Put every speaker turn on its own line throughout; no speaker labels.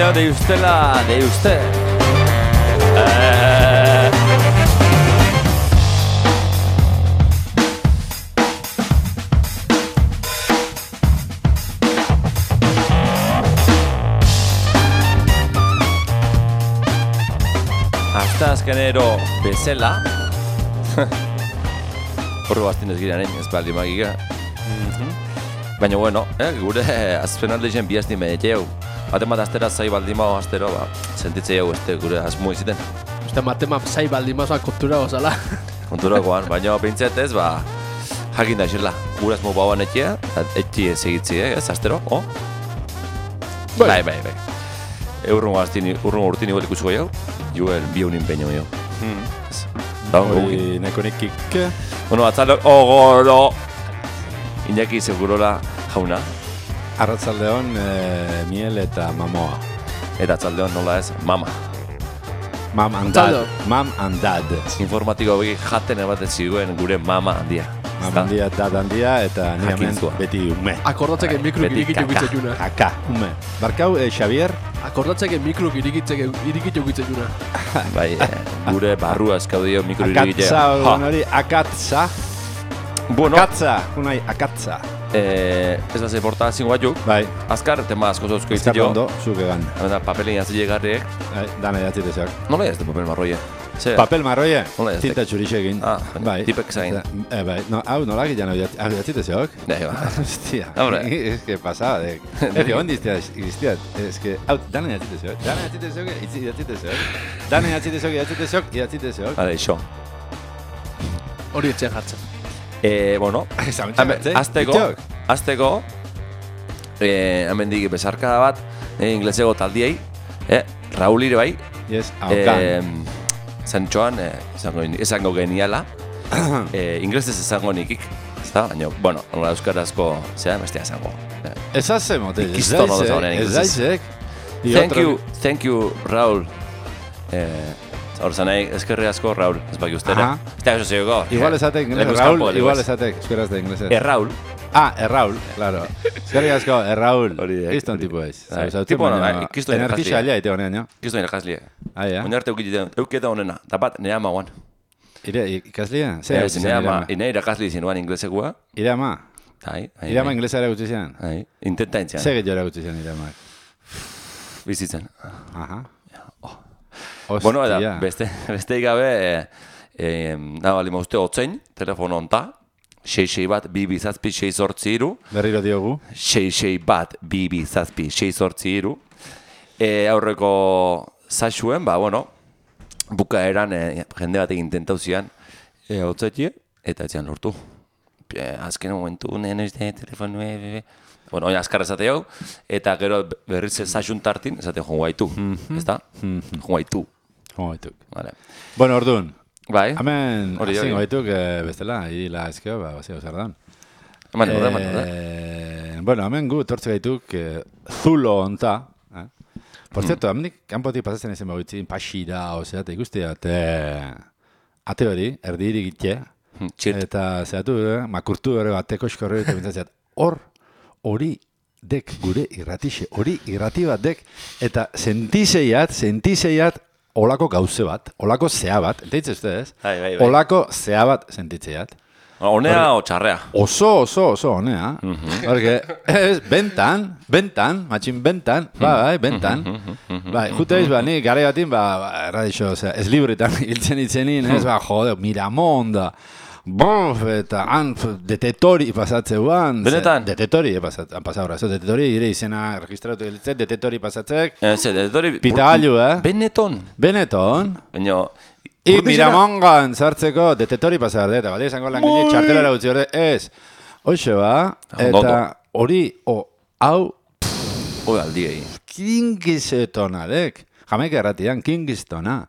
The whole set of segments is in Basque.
señor, de usted. Azkenero bezala. Horro bastinez girean, ez baldi magika. Baina, bueno, gure azpenalde zen bihazti medeteu. Matemat astera zai baldimao astero, sentitze jau gure asmo iziten.
Matemat zai baldimao kontura gozala.
Kontura goan, baina pintzet ez, jakin da xerla. Gure asmo bauan etxea, etxie segitzi, ez astero, Bai. Urrungo urtin igual ikusuko jau, juel biunin peño jo.
Hoi neko nekik.
Bueno, atzalde, goro! Iñaki segurola jauna.
Arratzaldeon miel eta mamoa.
Eta atzaldeon nola ez, mama.
Mam and dad.
Informatiko begi jaten ebat ziguen gure mama handia.
Mam handia, dad handia eta ni hemen beti ume.
Akordatzeke mikro irikitu gitzekuna.
Kaka, ume. Barkau, Xavier?
Akordatzeke mikro irikitu gitzekuna.
Bai, gure barrua eskaudio mikro irikitzea.
Akatza, hori, akatza.
Bueno.
Akatza.
Ez da ze portazio batzuk.
Bai.
Azkar, tema asko zauzko
izan jo. Ondo, zuk egan.
Eta papelin azile garriek.
Dana jatzitezak.
Nola ez de papel marroie?
Papel marroie? Tinta txurixekin.
Bai. Tipek zain.
Bai, hau nolak ikan jatzitezak?
Bai, bai.
Hostia. Ez que pasaba, dek. Ez que ondi iztiat. Ez que, hau, dana jatzitezak. Dana jatzitezak.
Hale, xo.
Hori etxean jartzen.
Bueno, azteko, hemen dik besarkada bat, inglesego taldiei, Raul ire bai, zentxoan, esango geniala, inglesez esango nikik, ezta? Baina, bueno, euskarazko, zera, bestia esango.
Ez haze mote, ez daizek.
Thank you, Raul. Hor zanei, eskerri asko, Raul, ez baki ustera. Ez da, eso zego.
Igual esatek, Raul, igual esatek, eskeraz de inglesez.
Raul.
Raul, claro. Eskerri asko, Raul. Kiston tipo ez.
Tipo hona, kiston
energia alia ite honean, jo?
Kiston irakaslie.
Ja?
Oin arte euketa honena, eta bat, nire ama guan.
Ikaslia?
Nire irakasli zinuan inglesegua.
Ire ama? Ire ama inglesa ere gutzi zian?
Intenta intzian.
Segit jo ere gutzi zian ire ama?
Bizitzen.
Aha.
Bueno, eta beste gabe, nabali mauzte otzein, telefono onta, 66 bat, 2
Berriro diogu.
66 bat, 2 aurreko zaxuen, bueno, bukaeran jende batek intentau zian otzaitie, eta etzian lortu. Azken momentu, nene telefono, bueno, oina azkar esate hau, eta gero berriz zaxun tartin, esate joan guaitu, ez da? Joan guaitu. Vale.
Bueno, orduan.
Bai.
Hemen, azin guaituk bestela, hila ezkeo, bazio zardan. Bueno, hemen gu tortze gaituk zulo onta. Por cierto, hemenik kanpotik pasatzen ezen bagoitzin, pasira, eta ikustia, ate hori, erdi irigitxe, eta zehatu, makurtu ere bateko eskorri, eta bintzatzeat, hori dek gure irratixe, hori irrati bat dek, eta sentizeiat, olako gauze bat, olako zea bat, enteitzen ustez, olako zea bat sentitzeiat.
Honea o txarrea?
Oso honea. Porque bentan, matxin bentan, bentan. Jute eiz, ni gare batin, erradixo, ez libretan hiltzen itzenin, jode, Miramonda, eta detetori pasatzeuan.
Benetan?
Detetori pasabra. Detetori ire izena registratu gilitzen, detetori pasatzek.
Detetori...
Pitagailu,
Beneton? Baina...
Miramongan sartzeko detetori pasar eta bat izango langile txartelara gutzi hori, ez. Hoxe eta hori, hau...
aldiei.
Kingstonadek. Jamaika erratian, Kingstona.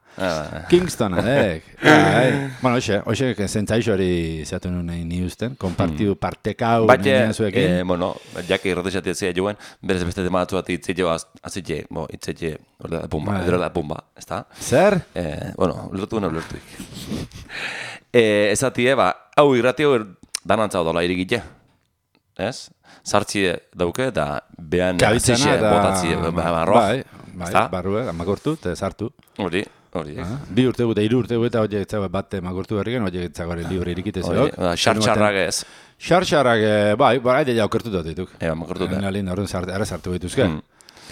Kingstonadek. Bueno, hoxe, zentzaixo hori zeatu nuen ni usten, kompartiu partekau nien zuekin.
Bueno, jake irratexatia zea joan, berez beste tematu bat itzitxe, itzitxe, edrola pumba, ez da?
Zer?
Bueno, ulertuik. Ezatie, hau irratio danantzau dola irigitxe. ez? Sartzi dauke eta behan
Kabitzena
azixe
eta...
botatzi barroa.
Bai, barrua, makortu, eta sartu.
Hori.
Bi urte eta 3 urte eta horiek etzago bat makortu berriken, horiek etzago libre irikite zeok.
Xartxarrak ez.
Xartxarrak, bai, ede ja okertu dut dituk.
Makortu da.
Nalin horren ara sartu behituzke.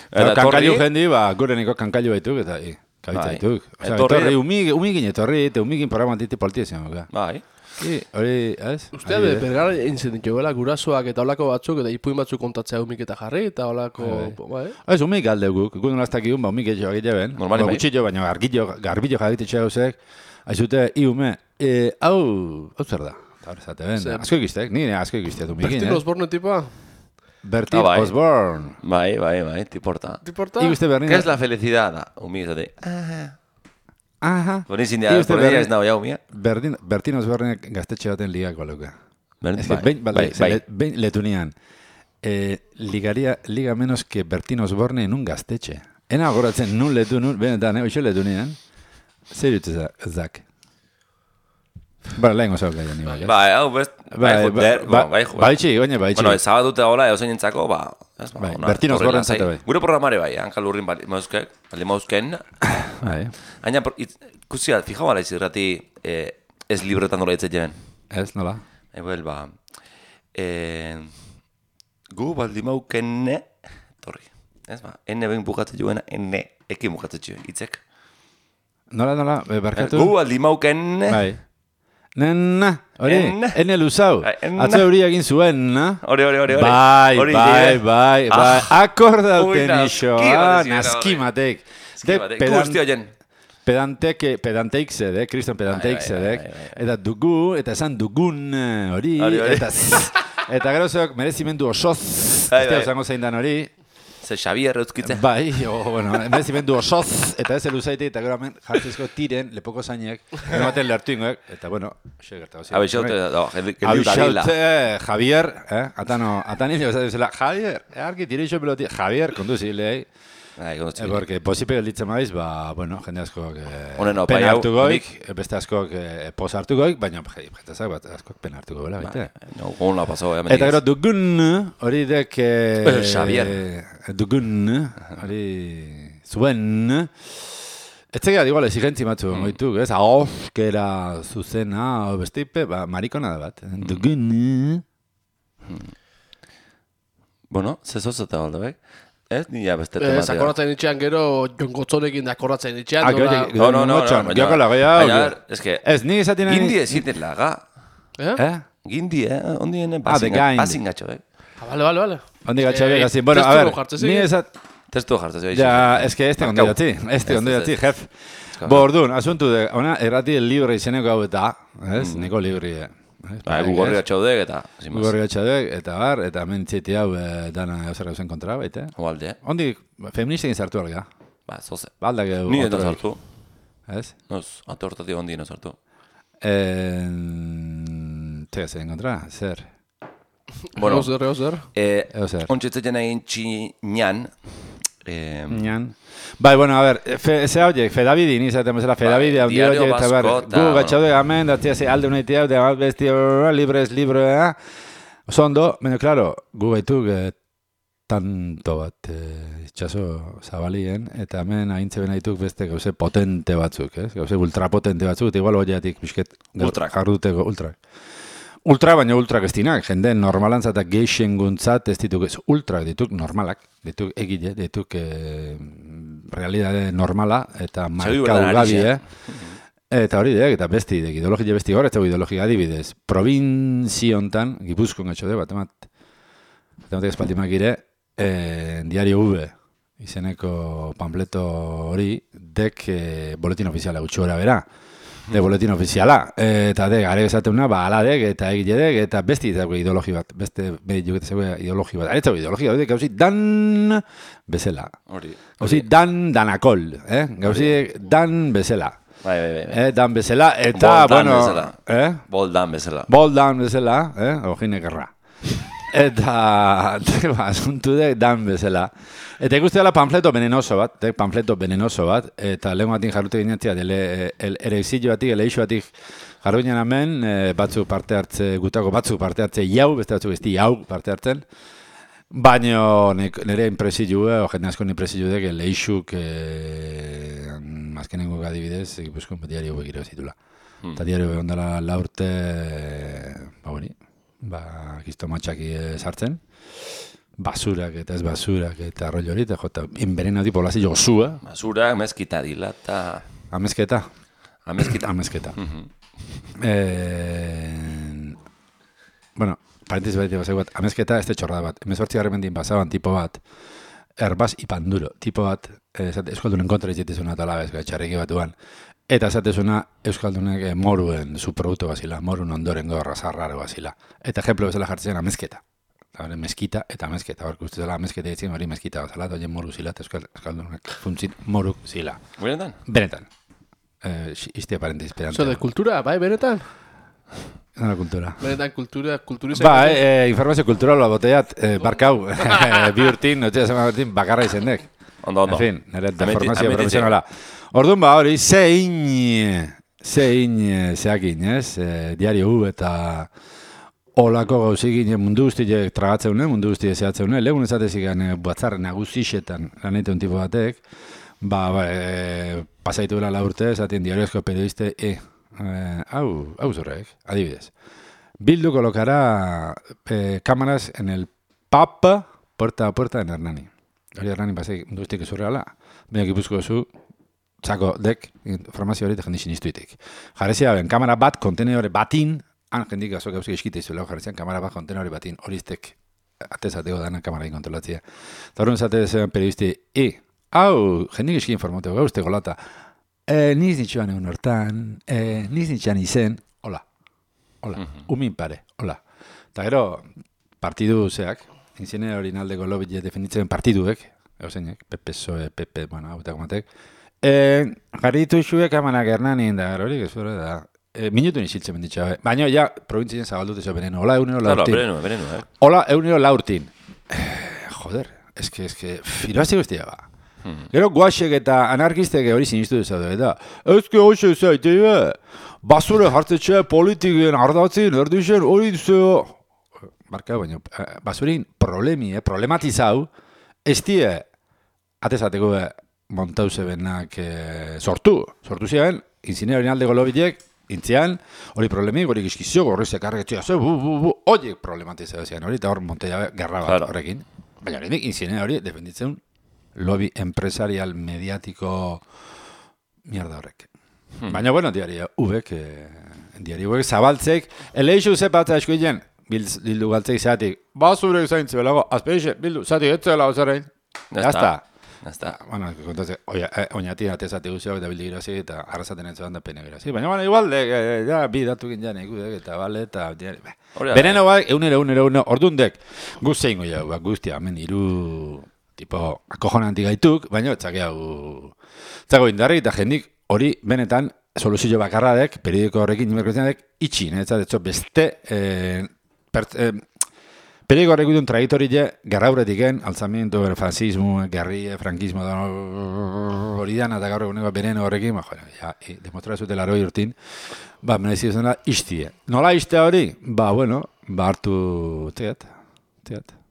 Eta
kankailu jendi, gureniko kankailu behituk, eta kabitza behituk. Etorri, umigin etorri, eta umigin programan diti poltia zion.
Bai.
Hori, ez?
Ustea bergara eintzen ditu, bela, gurasoak eta olako batzuk, eta ipuin batzuk kontatzea umik eta jarri, eta olako...
Ez, umik alde guk, guk nolaztak iun, umik etxo egite ben.
Normali bai.
Gutxillo, baina garbillo jagititxe gauzek, aizute, iume, hau zer da? Zate ben, asko egiztek, nire asko egiztek umikin,
Bertin Osborne tipa?
Bertin Osborne.
Bai, tiporta.
Tiporta?
Iguste bernin...
¿Qué es la felicidad? Umik zate.
Aha.
Bonizin dira, porreia ez nago jau, mia.
Bertin Osborne gaztetxe baten ligako leuka.
Bai.
Behin letunian. Liga menos que Bertin Osborne en un gaztetxe. Ena goratzen nun letu, benetan, oixo letunian. Zer dut zak. Lehen gozau gaia ni bai.
Bai, hau best. Bai,
baitxi.
Bueno, zabadute hola, eozein entzako,
Bertin Osborne zate bai.
Gure programare bai, hankal urrin bali mauzken.
Bai.
Haina, ikusia, fijau ala izirrati ez libretan dola itzet
Ez, nola?
Ebel, gu baldi maukenne, torri. Ez enne behin bukatzen joena, enne ekin bukatzen joen, itzek.
Nola, barkatu?
Gu baldi maukenne.
Bai. Nenna, hori, enne luzau. Atzo hori egin zuen, na?
Hori.
Bai. Akordauten iso, naskimatek.
Guzti hoien.
Pedanteik zede, kriston pedanteik zedek. Eta dugu, eta esan dugun hori. Eta gero zeok merezimendu osoz. Ez da zango zein dan hori.
Ze Xavier euskitze.
Bai, merezimendu osoz. Eta ez eluzaite, eta gero hemen jartzizko tiren, lepoko zainek. Gero baten lertu ingoek. Eta bueno, xe gertago ziren.
Abixaute,
Javier, atan hile bezatu zela. Javier, argi tireixo peloti. Javier, konduzilei. Porque posipe gelditzen maiz, jende askok pena hartu goik, beste askok posa hartu goik, baina jentazak bat askok pena hartu goik, baita.
Gona pasau,
eta gero dugun, hori dek...
Xavier.
Dugun, hori zuen... Etzegea igual exigentzi matzu, goituk, ez? Ahozkera zuzena, bestipe, marikona da bat. Dugun...
Bueno, zezozeta balda bek. Ez, nila beste tematea.
Zakoratzen itxean gero, Jon Gotzonekin dakoratzen itxean.
No. Gioko lagoia hau. Ez, nik esaten nahi...
Gindi eziten laga. Gindi, ondien pasin gatxo,
Vale.
Ondi gatxo, gazin. Bueno, a ver, ni esat...
Testu jartzez.
Ja, ez que este ondo jatzi, jef. Bordun, asuntu de, ona, errati el libre izeneko hau eta, ez, niko libri,
Gugorri gatxaudek eta...
Gugorri gatxaudek eta bar, eta mentziti hau dana eusera gauzen kontra, baita.
Oalde.
Ondi, feministekin sartu alga.
Zoze.
Baldak edo...
Ni edo sartu.
Ez?
Noz, atortatik ondi no sartu.
Tega zen kontra, zer?
Bueno,
Eozer.
Ontsetzetzen egin txinan...
Nian. Bai, bueno, a ver, ze hauek, Fedabidi, ni zaten bezala, Fedabidi, haundi hauek, eta ber, gu gatxaude gamen, datzia ze alde unaitea, da besti libre, oso baina, claro, gu gaituk tanto bat itxaso zabalien, eta hemen aintze bena dituk beste gauze potente batzuk, gauze ultrapotente batzuk, eta igual hoiatik bisket jarduteko ultrak. Ultra, baina ultrak ez dinak, jende normalantzat eta geixenguntzat ez dituk ez ultrak, dituk normalak, dituk egile, dituk realidade normala eta markaugabi, Eta hori dek, eta besti, ideologia besti gaur, ez dago ideologia adibidez. Provinziontan, Gipuzkoan gatxo bat ematek espaldimak gire, Diario V, izeneko pamfleto hori, dek boletin ofiziala gutxu gara bera. De boletin ofiziala, eta de gare esateuna, aladek eta egiledek, eta besti dago ideologi bat, beste medioket zegoen ideologi bat. Aretzago ideologia, gauzi dan bezala. Gauzi danakol, gauzi dan bezala.
Bai.
Dan bezala, eta, bueno...
Boldan bezala.
Boldan bezala, ojinek erra. Eta, asuntu dek dan bezala. Eta ikuste dela panfleto venenoso bat, eta lehen batin jarrute ginetzia, erexillo batik, eleixo batik jarru ginen hemen, batzuk parte hartze, gutako batzuk parte hartze jau, beste batzuk besti jau parte hartzen, baina nire impresillu, jende asko impresillu dek, eleixuk, azkenengo adibidez, Gipuzkoan diario hauek irabazi zitula. Eta diario ondala 4 urte, kistomatxaki sartzen, basurak eta ez basurak eta arroio hori, eta envenenatu poblazio gozua.
Basurak, mezkita dila, eta...
Amezketa.
Amezketa.
Bueno, parentesi bat bazai bat, amezketa ez txorrada bat. 18 mendin bazaban tipo bat, erbaz ipanduro, tipo bat, euskaldunen kontra izitizuna eta labez, txarriki batuan. Eta esatezuna euskaldunek moruen subproduktu bazila, morun ondoren gorra zarraro bazila. Eta ejemplo bezala jartzen amezketa. Mezkita eta amezketa, barko uste zela amezketa ditzen hori mezkita bazala, eta horien moru zila, eta euskaldunek funtzit moruk zila.
Benetan?
Benetan. Iztia parentez pedante.
De kultura, bai, benetan?
Nola kultura?
Benetan kulturizak.
Informazio kulturala boteiat, barkau, bi urtin, bakarra izendek.
Ondo.
En fin, nire deformazio profesionala. Orduan hori, zein zeakin, ez? Diario U eta olako gauzikin mundu guztiek tragatzeune, mundu guztiek zehatzeune. Legun ezatezik batzar nagusixetan laneteun tipo batek, pasaitu dela 4 urte, esaten diariozko periodiste, hau zorrek, adibidez. Bildu colocará cámaras en el pub, puerta a puerta en Hernani. Hori Hernani pasei mundu guztiek ezurreala, baina Gipuzko zu, txako dek, informazio hori tejen dixinistuitek. Jarezia ben, kamera bat, kontenedore batin, jendik azok gauzik eskite izuela, jarezian, kamera bat, kontenedore batin, horiztek, atezateko dana kamerain kontrolatzea. Eta horren zatezen periodisti, hau, jendik eski informateo gauzte golata, niz nitxuan egun hortan, niz nitxuan izen, hola, umin pare, hola. Eta gero, partidu zeak, inzine hori naldeko lobit defenditzen partiduek, euseinek, PSOE, PP, hau eta gomatek, jarritu isuek amanak Hernanien da, hori, gezure da, minutu niziltzen benditxa, baina ja, provintzien zabaldute zo beneno, hola, egunero laurtin.
Beneno,
Hola, egunero laurtin. Joder, eske, firoazi guztia ba. Gero guaxek eta anarkistek hori sinistu dezadu, eta ezke hoxe zaite, basure hartzetxe politiken ardatzen, erdixen, hori duzeo. Marka, baina, basurin problematizau, ez die, atezateko montauze benak sortu ziren, inzine hori aldeko lobitek, intzian, hori problemik, hori gizkizio, hori zekarretzia, horiek problematizau ziren, hori, eta hor monteia gerra bat horrekin. Baina hori inzine hori defenditzen lobby empresarial mediatiko mierda horrek. Baina, bueno, diario ubek zabaltzek, eleixu zepatza eskuilen, bildu galtzeik zeatik, basurek zaintze belago, azpeixe, bildu, zatik etzela ozarein. Jazta. Bueno, kontatzen, oinati atezati guztiak eta bildi girazi eta arrazaten entzuan da pene girazi. Baina, igual, bi datukin jan ikudek eta bale eta... Beneno bak, egunero, ordundek, guztzein goia, guztia, hemen iru, tipo, akojonantik gaituk, baina txako indarrik eta jendik hori benetan soluzio bakarradek, periodiko horrekin, nimerkoetan itxi, netzat, beste... Periodiko horrek duen trajektoria gerrauretiken, alzamiento, fascismo, guerrilla, frankismo, hori dan, eta gaur eguneko beneno horrekin, demostratu zutela 80 urtin, merezi zena iztie. Nola iztea hori? Hartu, teat,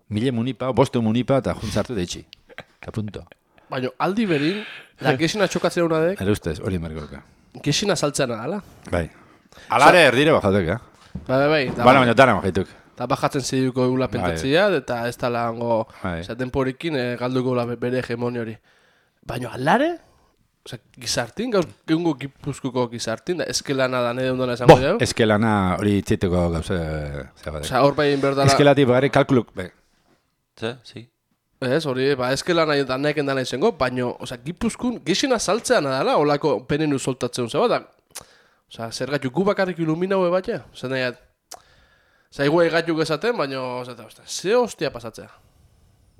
mile munipa, bostu munipa, eta juntzartu deitxi. Eta punto.
Baina, aldi berin, gesina txokatzen honadek...
Ere ustez, hori mergoka.
Gesina saltzen ala?
Bai. Alare erdire bajatek,
Bai.
Baina dara bajaituk.
Eta bajatzen ziduko egula pentatzia, eta ez tala hango temporekin galduko bere hegemoni hori. Baina, alare? Gizartin, gauz, egungo Gipuzkoako gizartin, da eskelana da nede ondona esango dugu?
Eskelana hori txeteko gauze...
Hor bai inberdala...
Eskelati bagari kalkuluk,
Sí.
Ez, hori, eskelana da nahiken dana izango, baina, Gipuzkoan gizina saltzean adala, holako penenu soltatzen zeba, da, zer gaitu gu bakarrik ilumina hue bat, zer nahi, zaigu egatuk esaten, baina, ze hostia pasatzea.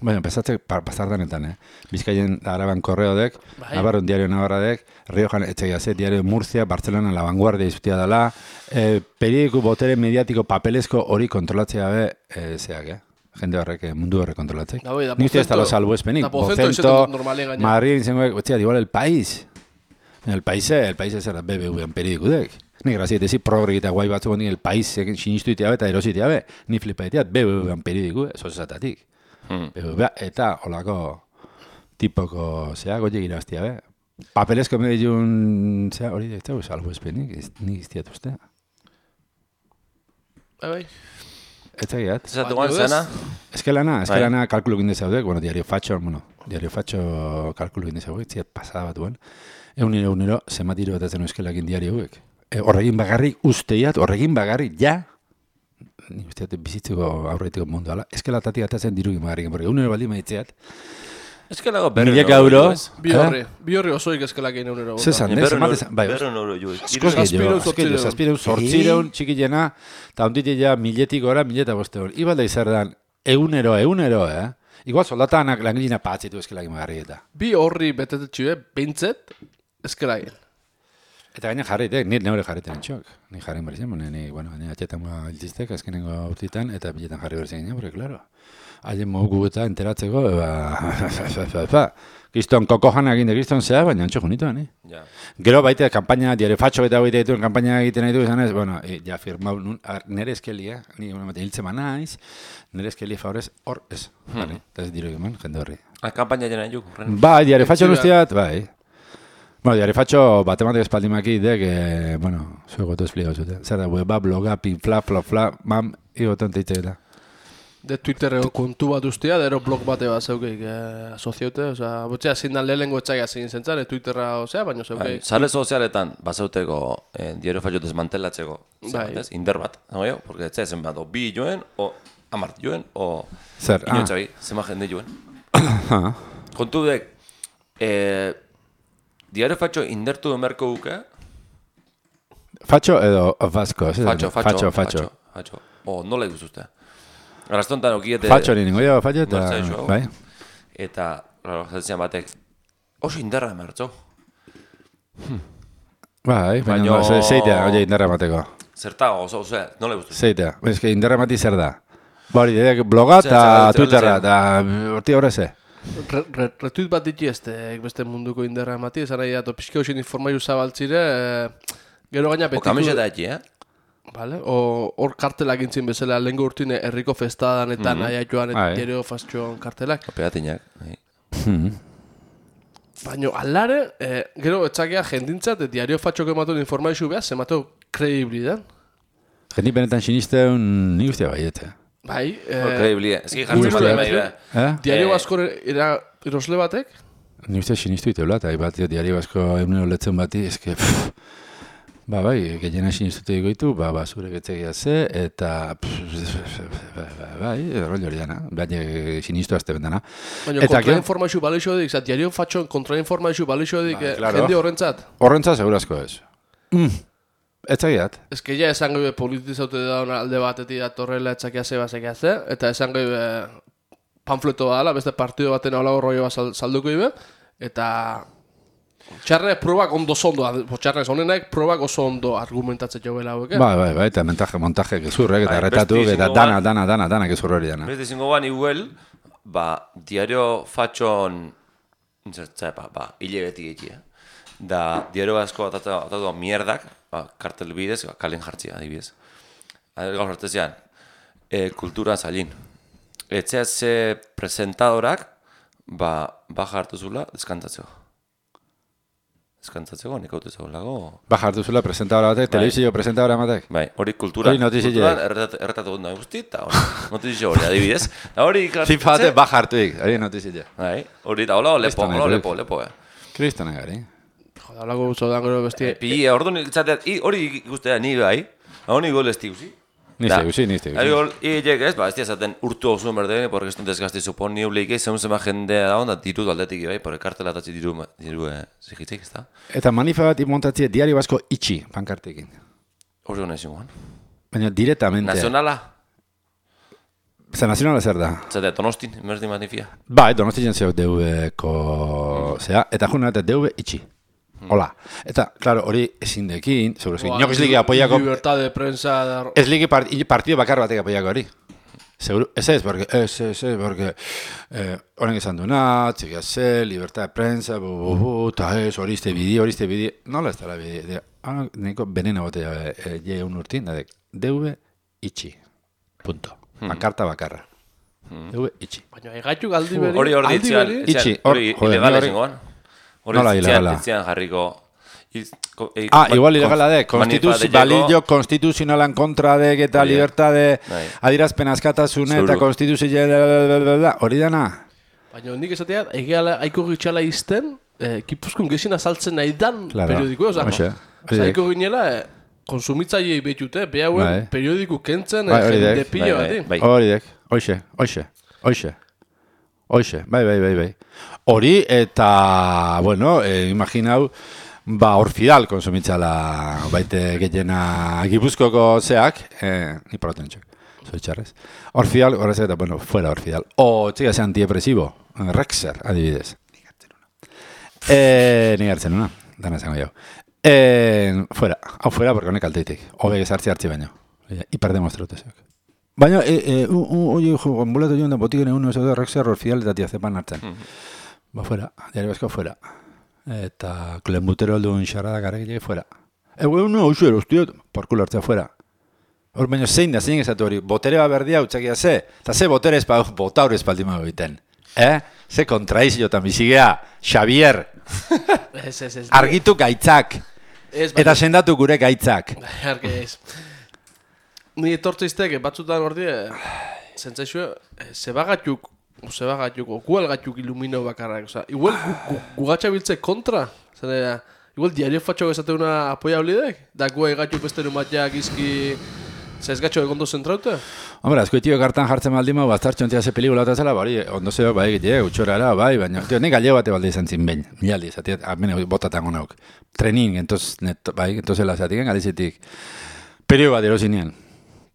Baina, pasatzea pasardanetan, Bizkaien Araban korreodek, Navarron diario Navarradek, Riojan etxegiazet, diario Murcia, Barcelona La Vanguardia izuztia dela, periodiko botere mediatiko papelezko hori kontrolatzea be, zeak, jende horrek, mundu horrek kontrolatzek.
Da, bai, da,
Ni uste ez da
Pocento-
lo salbuespenik.
da, Pocento izaten dut normalean gaina.
Madrid zengoek, igual el país. El país zer da BBV-an periodikudek. Ni grazia etezi progre eta guai batzuk ni el país sinistu itea eta erosi itea be. Ni flipa itea BBV-an periodiku, sozatatik. BBV eta holako tipoko, goiek irabaztia be. Papelezko medillun, hori ez dago salbuespenik, ni iztiat ustea.
Bai.
Ez zagiat.
Zatu guan zena?
Eskelana kalkulu ginde zaudek, Diario Fatxo kalkulu ginde zaudek, ziat pasada bat duen. Egunero, zematiro bat ezen euskelakin diario hauek. Horregin bagarrik usteiat, horregin bagarrik, ja, ni usteat bizitzeko aurretiko mundu ala, eskelatatik atatzen dirugin bagarrik, porque egunero baldi maitzeat.
Eskelago berren
Milaka euro.
Bi horri osoik eskelakin egunero.
Zezan, bai,
berren euro jo.
Zazpireun, sortzireun, txikilena, eta onditila miletik gora, 1.500. Ibalda izardan, egunero, Igual soldatanak langilina patzitu eskelakin bagarrik eta.
Bi horri betetetxue, bintzet, eskelakin.
Eta gaina jarritek, nire neure jarriten entxok. Ni jarrin berzen, ni atxetan iltiztek, azkenengo urtitan, eta biletan jarri berzen ginen, porque, claro, haien mogu eta enteratzeko, Kriston koko jana egin de Kriston zea, baina antxo junituan,
Ja.
Gero baita, kampaina, Diario Fatxo eta baita dituen, kampaina egiten nahi du izan ez, ja firmau, nire eskeli, ni hiltzen naiz, nire eskeli favorez, hor ez, eta ez diro egiman, jende horri.
Kampaina jena juk.
Bai, Diario Fatxo guztiat, bai. Diario Fatxo batematik espaldimaki idek, zuegotu espligau zuten. Zer da, weba, bloga, pinfla, flofla, mam, igoten teitzeketa.
De Twitterreko kontu bat ustea, da ero blog bate bat zeukeik asoziote, oza, botxea zindan lehenengo etxaila zin zentzan, Twitterra, baina zeukeik.
Sare sozialetan, bazauteko Diario Fatxo desmantelatzeko, inder bat, porque ez zen bat, o bi joen, o amart joen, o inotxabi, zema jende joen. Kontu dek, Diario Fatxo indertu emerko duke?
Fatxo edo Vasco?
Fatxo. O, nola ikustuzte? Arrastontan okiete...
Fatxo ningo jo, Fatxo eta... Bai.
Eta, zatezian batek, oso inderra emertzo.
Bai, baina zeitea, oie inderra emateko.
Zerta, oso, nola ikustuzte?
Zeitea, eske inderra emati zer da. Hori, bloga eta Twitterra, eta horti horreze.
Retuit bat diti beste munduko inderra emati, esan nahi dato pixka hoxin informaiu zabaltzire, gero gaina betitu...
O kamiseta eki,
Vale, hor kartelak intzin bezala, lehenko urtine herriko festadan eta nahi joan eta Diario Fatxoan kartelak.
Pegatinak.
Baina alare, gero etxakea jendintzat, Diario Fatxoko ematuen informaizu behar, zemateu kredibilidan.
Jendi benetan sinisteun nik ustea baiete.
Bai,
kredibilia. Ez ki jartzen bat bai.
Diario Basko erosle batek?
Nik ustea sinistu iteula, eta bat Diario Basko egunero letzen bati, eske... Bai, gehiena sinistute digoitu, zure getzegia ze, eta... Bai, rol hori dana, baina sinistu azte bendana.
Baina kontrainformaizu balixo dik, Diario Fatxon kontrainformaizu balixo dik, jende horrentzat?
Horrentzat segurazko ez. Ez zagiat.
Ez que ja esan gaibe politizaute dauna alde batetik datorrela etxakia ze bazekia ze, eta esan gaibe panfleto dala, beste partido baten hau rollo bat salduko ibe, eta... Txarrek probak ondo zondo, txarrek zonenak probak oso ondo argumentatzen jo bela hauek.
Bai, eta montaje gezurrek, eta erretatu, eta dana gezurro hori dana.
Beste zingo ban iguel, Diario Fatxon, hile beti egia. Da, Diario Basko atatu mierdak, kartel bidez, kalen jartzia, adibidez. Gaur hartezian, kultura zailin. Etxea ze presentadorak, baja hartu zula, deskantatzeko. Eskantzatzeko, nik haute zegoen lago.
Baja hartu zula presentadora batek, telebizio presentadora batek.
Bai, hori kulturan erretatu dut nahi guzti, eta notizio hori adibidez.
FIFA batek baja hartuik, hori notizio.
Bai, hori eta hola, lepo.
Kristona gari.
Joda, lago gutzo dan gero bestia.
Pili, ordu nik zateat, hori ikustea ni bai, hori gol esti guzi.
Niste guzi.
Ari gol, iek ez, ez diazaten urtu oso berde, porque eston desgazte supon ni uleike, zema jendea da onda, diru aldetik bai, porque kartela atatzi diru zigitzik, ez da?
Eta manifa bat imontatzi Diario Basko itxi, pankartekin.
Hori hona izan guan.
Baina directamente.
Nazionala?
Nazionala zer da?
Zatea, Donostin, merdi manifia.
Bai, Donostin zeok DV-ko zea, eta juna eta DV itxi. Hola. Eta, claro, hori ezin dekin, seguros que inok ez ligi apoiako...
Libertad de prensa...
Ez ligi partido bakar batek apoiako hori. Seguro, porque honen esan duna, txikia ze, libertad de prensa, eta ez, horiste bidi, nola ez dara bidi, neko benena botea je un urtin, DV itxi, punto, makarta bakarra, DV itxi.
Baina egaitu galdi beri,
Hori
Itxi,
hori ilegala zengoan.
Nola ilegala?
Itzian jarriko...
igual ilegala de, balillo konstituzionalan kontra de, eta libertade adirazpen askatasune, eta konstituzio, hori dana?
Baina nik esatea, egeala aiko gitxala izten, Gipuzkoan gezina saltzen nahi dan periodikoa, aiko ginela, konsumitzaiei betute, behauen periodiku kentzen, jende pilo bat.
Hoxe, bai. Hori eta, bueno, imaginau, Orfidal konsumitzala baite gehiena Gipuzkoko zeak, ni paroten txok, zoitxarrez. Orfidal, horrez eta, bueno, fuera Orfidal. Txiga ze antidepresibo, Rexer, adibidez. Ni gartzen una, dana zango jau. Fuera, porque honek alteitik. Hobe gezartzi hartzi baino. Hiperdemostratu zeak. Baina, oie, ambulato joan da botiken egun ez da Rexer, Orfidal eta tiazepan hartzen. Fuera, diario basko fuera. Eta klenbutero alduen xarrada garek fuera. No, hauzu erostiot, porkulo hartzea fuera. Hor baino zein ezatu hori, botere bat berdia utzakia ze, eta ze botere botaur espaldima egiten. Ze kontraiziotan bizigea, Xavier, argitu gaitzak, eta sendatu gure gaitzak.
Ni etortze iztek, batzutan ordi, zentzaixue, Zebagatuk, okualgatuk ilumino bakarrak, oza, igual gugatxa biltze kontra, zene, igual diario fatxo gezate una apoia olidek, da gu egatuk beste numatiak izki, zezgatxo egondo zentraute?
Hombre, azkoitio kartan jartzen baldima, bastartxo entia ze pelikula eta zela, bari, ondo zeo, bai, utxorara, bai, baina, nik galego bate balde izan zin behin, milaldi, zatiet, amene botatan honauk, trenin, entozela zatiken, alizetik, perio bat erosinien.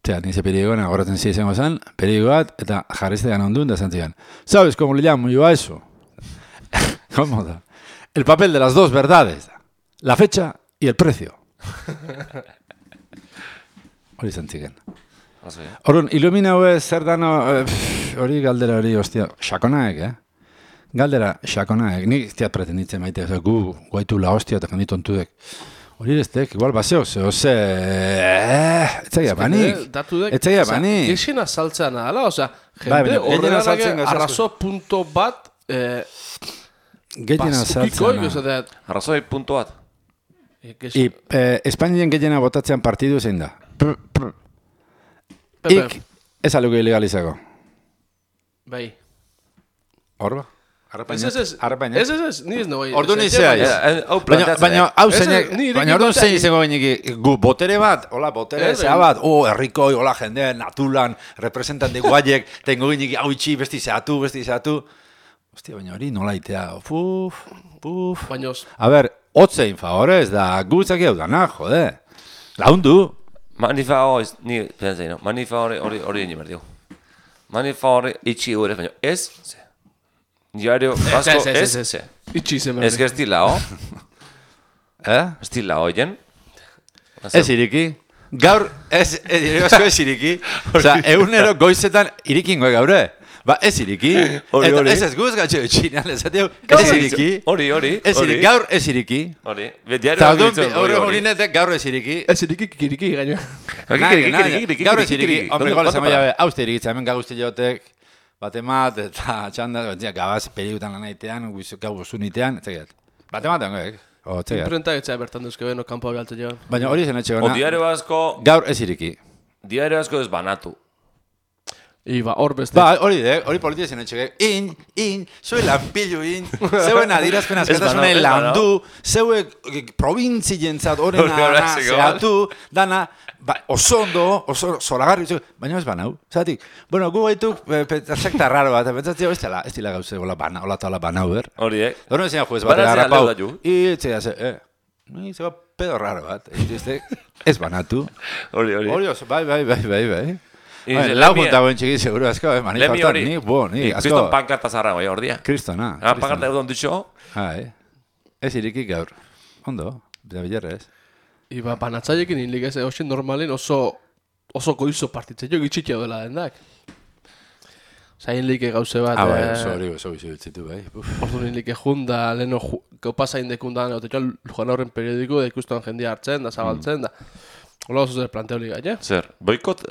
Nize perigoan agoratzen izango zen, perigo bat, eta jarriztean ondun da zantzigan. ¿Sabes cómo le llamo yo a eso? ¿Cómo da? El papel de las dos verdades. La fecha y el precio. Hori zantzigen. Horun, ilumina hue zer dano, hori galdera hori, ostia, xakonaek, Galdera, xakonaek. Nik iztiat pretenditzen maite, gu guaitu la hostia eta jendit ontudek. Hori eztek, igual baseo, etzaia banik.
Gexena saltzea nahela, oza, jende horregarage arrazo punto bat ukiko,
arrazoi punto bat.
Espainien gehiena botatzean partidu zein da. Ik ez aluke ilegalizako.
Bai.
Horba?
Ez, ni ez nagoen.
Ordu nizea, baina hau zeinek, baina ordu zein izango gainiki, gu botere bat, hola, botere zea bat, herrikoi, hola, jende, natulan, representante guaiek, tengo gainiki, hau itxi, besti zeatu. Hostia, baina hori nola itea, puf. A ber, hotzein favorez, da gutzak jau dana, jode. Laundu.
Manifa hori egin berdio. Manifa hori itxi gure, baina ez, Diario Vasco es que estilao. Estilao, ¿oyen?
Ez iriki. Gaur, Diario Vasco ez iriki. Osa, egunero goizetan irikingo gaure. Ba, ez iriki. Ez guz gatxo txinean lezateu. Ez iriki.
Hori.
Gaur ez iriki.
Hori.
Hori netek gaur ez iriki.
Ez iriki kikiriki gaino.
Gaur ez iriki. Hombre, gola zama jabe, hauste irikitza, hemen gaguzte jotek. Batemat eta txanda, gabaz perigutan lan aitean, gau zunitean, etxegat. Batemat dangoek.
Imprenta etxea bertan duzke beno, kampo abialtu joan.
Baina hori zen etxe gona.
Diario Vasco...
Gaur ez iriki.
Diario Vasco ez banatu.
Iba, hor beste.
Ba, hori politia zen etxe zue lanpillu zeuen adirazpen askatasune landu, zeue provintzientzat horrena zehatu, dana, oso ondo, oso zoragarri, baina ez banau, zatik. Bueno, gu baituk, sekta raro bat, pentsatzio, ez dila gauze, hola banau, ber?
Hori,
Horren zian juez bat, harrapau, itzea, zeba pedo raro bat, ez banatu.
Hori.
Hori oso, bai. Lau junta buen txiki, seguro, asko, manifestan, ni, asko.
Kriston pankarta zarra, bai, ordia.
Kristona.
Pankarta egon dutxo.
Ez iriki gaur. Ondo, da bilarrez.
Iba, banatzaiekin hilik ez, hoxen normalen oso goizo partitzen jo gitxitia dela dendak. Zain like gauze bat.
Oso izitu, bai.
Ordu like junda, leheno kopa zain dekundan, Lujan Horren periodiko, da ikustuan jendia hartzen, da zabaltzen, da. Hola oso zer planteo liga, ja?
Zer, boikot...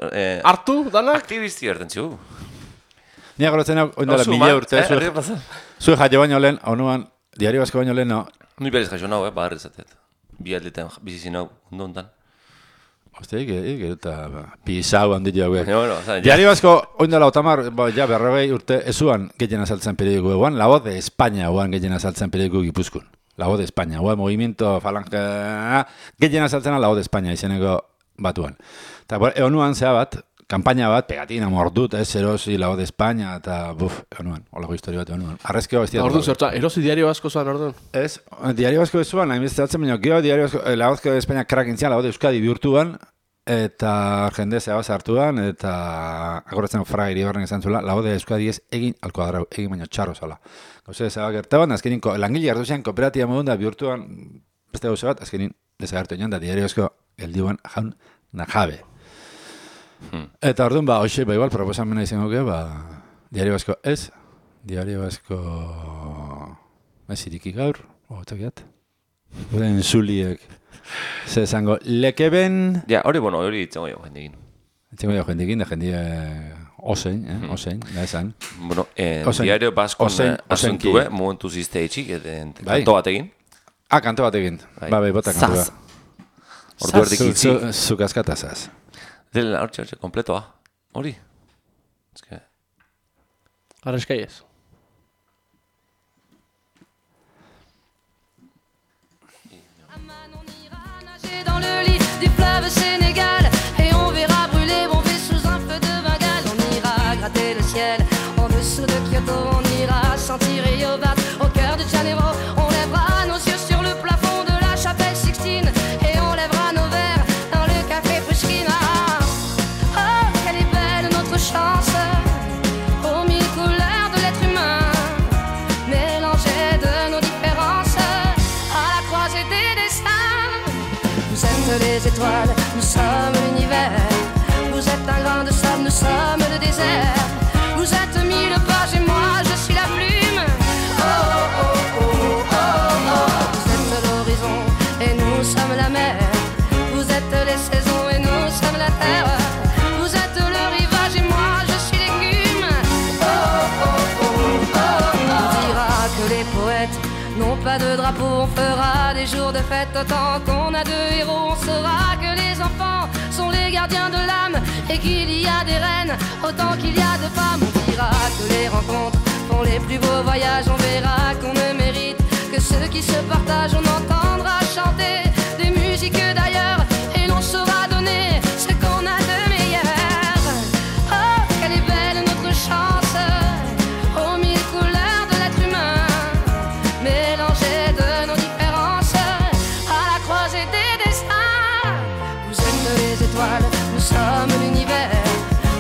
Hartu, danak?
Aktivisti erten txu.
Nia gorotzen hau, oindala 1000 urte. Zue jaio baino lehen, onuan, Diario Vasco baino lehen, no?
Ni berez jaio nau, bagarri zatet. Bi atletan bizizin hau, ondo ondan.
Hostia, eta pisau handit hauek.
Bueno,
Diario Vasco, oindala otamar, ja berrogei urte, ezuan gehien azaltzen periodiko eguan, La Voz de España eguan gehien azaltzen periodiko Gipuzkoan. La Voz de España, movimiento falange, gehien azaltzena La Voz de España izeneko batuan. Eta egonuan zea bat, kampaina bat, pegatina mordut, erosi La Voz de España, eta egonuan, holako historia bat egonuan. Arrezkeo bestia.
Orduan zertza, erosi Diario Vasco zoan orduan?
Ez, Diario Vasco ezuan, hainbesteatzen baino, gero Diario Vasco, La Voz de España krakintzian, La Voz de Euskadi bihurtuan, eta jende zea bat hartuan, eta agoratzen fraga iribarren izan zula, La Voz de Euskadi ez egin alkoadrau, egin baino txarro zala. Gauze, zeba gertaban, azkenin, langile hartu zean kooperatiba modun da bihurtuan, beste gauze bat, azkenin, desagertu enan da Diario Vasco eldiuan jaun najabe. Eta orduan, hoxe, igual, proposamena izango ge, Diario Vasco ez, Diario Vasco ez iriki gaur, otakiat, guren zuliek, ze zango, lekeben...
Ja, hori itzengo jo jendekin.
Itzengo jo jendekin, da jendia osein, da esan.
Bueno, Diario Vasco asuntu, momentu zizte etxik, kanto batekin.
Kanto batekin. Bai, bota kanto bat.
Ordu erdik itzi.
Zuk askatazaz.
Dela, hortxe, kompletoa. Hori.
Arrezkai ez.
Dans le lit du fleuve Sénégal et on verra brûler bomber sous un feu de Bengale. On ira gratter le ciel en dessous de Kyoto. On ira sentir Rio battre au cœur de Janeiro. On lèvera nos yeux sur le plafond de la chapelle Sixtine et on lèvera nos verres dans le café Pushkin. Oh, quelle est belle notre chance aux mille couleurs de l'être humain, mélangées de nos différences à la croisée des destins. Vous êtes les étoiles, nous sommes l'univers. Vous êtes un grain de sable, nous sommes le désert. Vous êtes mille pages et moi je suis la plume. Oh oh oh oh oh oh. Vous êtes l'horizon et nous sommes la mer. Vous êtes les saisons et nous sommes la terre. Vous êtes le rivage et moi je suis l'écume. Oh oh oh oh oh. On dira que les poètes n'ont pas de drapeau, on fera des jours de fête autant qu'on a de héros. On saura que les enfants sont les gardiens de l'âme et qu'il y a des reines autant qu'il y a de femmes. On dira que les rencontres font les plus beaux voyages. On verra qu'on ne mérite que ceux qui se partagent. On entendra chanter des musiques d'ailleurs et l'on saura donner ce qu'on a de meilleur. Oh, quelle est belle notre chance aux mille couleurs de l'être humain, mélangées de nos différences à la croisée des destins. Vous êtes les étoiles, nous sommes l'univers.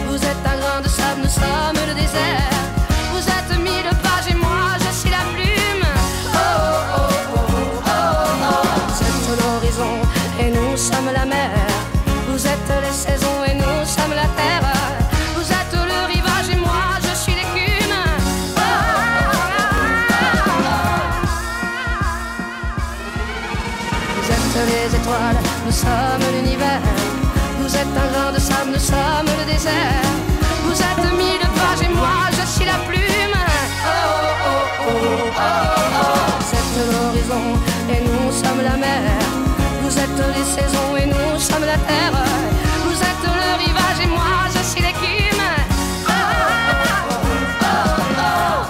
Vous êtes un grain de sable, nous sommes le désert. Vous êtes mille pages et moi je suis la plume. Oh oh oh oh oh oh. Vous êtes l'horizon et nous sommes la mer. Vous êtes les saisons et nous sommes la terre. Vous êtes le rivage et moi je suis l'écume. Oh, vous êtes les étoiles, nous sommes l'univers. Vous êtes un grain de sable, nous sommes le désert. Vous êtes mille pages et moi je suis la plume. Oh oh oh oh oh. Vous êtes l'horizon et nous sommes la mer. Vous êtes les saisons et nous sommes la terre. Vous êtes le rivage et moi je suis l'écume. Oh oh oh oh.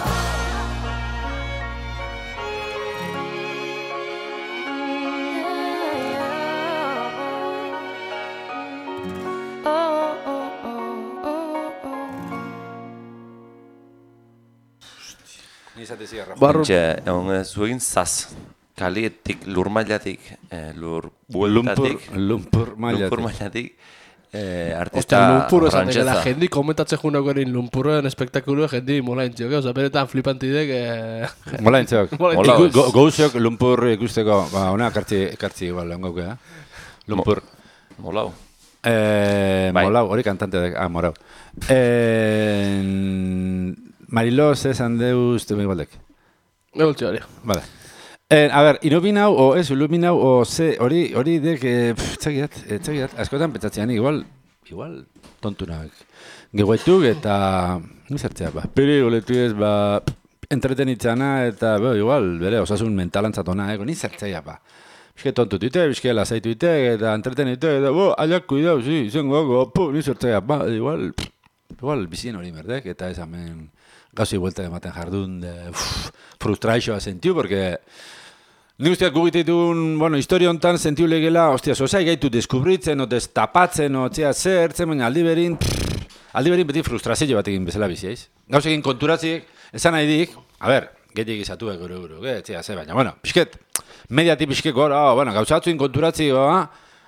Barru. Zuegin zaz. Kalietik, lur mailatik, lur bueltatik.
Lumpur
mailatik.
Ostia,
Artista
lumpur esan dela,
frantsesa.
jendi komentatzen junako erin lumpurren espektakulu jendi mola intziok, oza, benetan flipantidek...
Mola entzeok.
Mola ez.
Gouzok lumpur ikusteko, hona kartzi igual, lengoke, Lumpur.
Molau.
Molau, hori kantante da, Morau. Mariló, esan deuz, temik baldek.
Egoltzi hori.
Vale. A ber, illuminau, o ez, illuminau, o ze, hori dek, txagiat, askotan pentsatzean, igual tontunak. Geguetuk eta, nizertzea, pelikuletu ez, entretenitzana eta, igual, bere, osasun mentalantzatona, nizertzea, Bizke tontutuite, bizke lasaituite, eta entretenite, eta, aiak kuidau, zengo, nizertzea, igual bizien hori merdek, eta ez hemen gauzi buelta ematen jardun, frustrazioa sentiu, porque nik usteak gugititun, historia hontan sentiu legela, osai gaitu deskubritzen, o destapatzen, o zertzen, baina aldi berin beti frustrazio bat egin bezala biziaiz. Gauz egin konturatziek, esan nahi dik, gehiagik izatuek gero, baina, bizket, mediatik bizket gora, gauzatzuin konturatzi,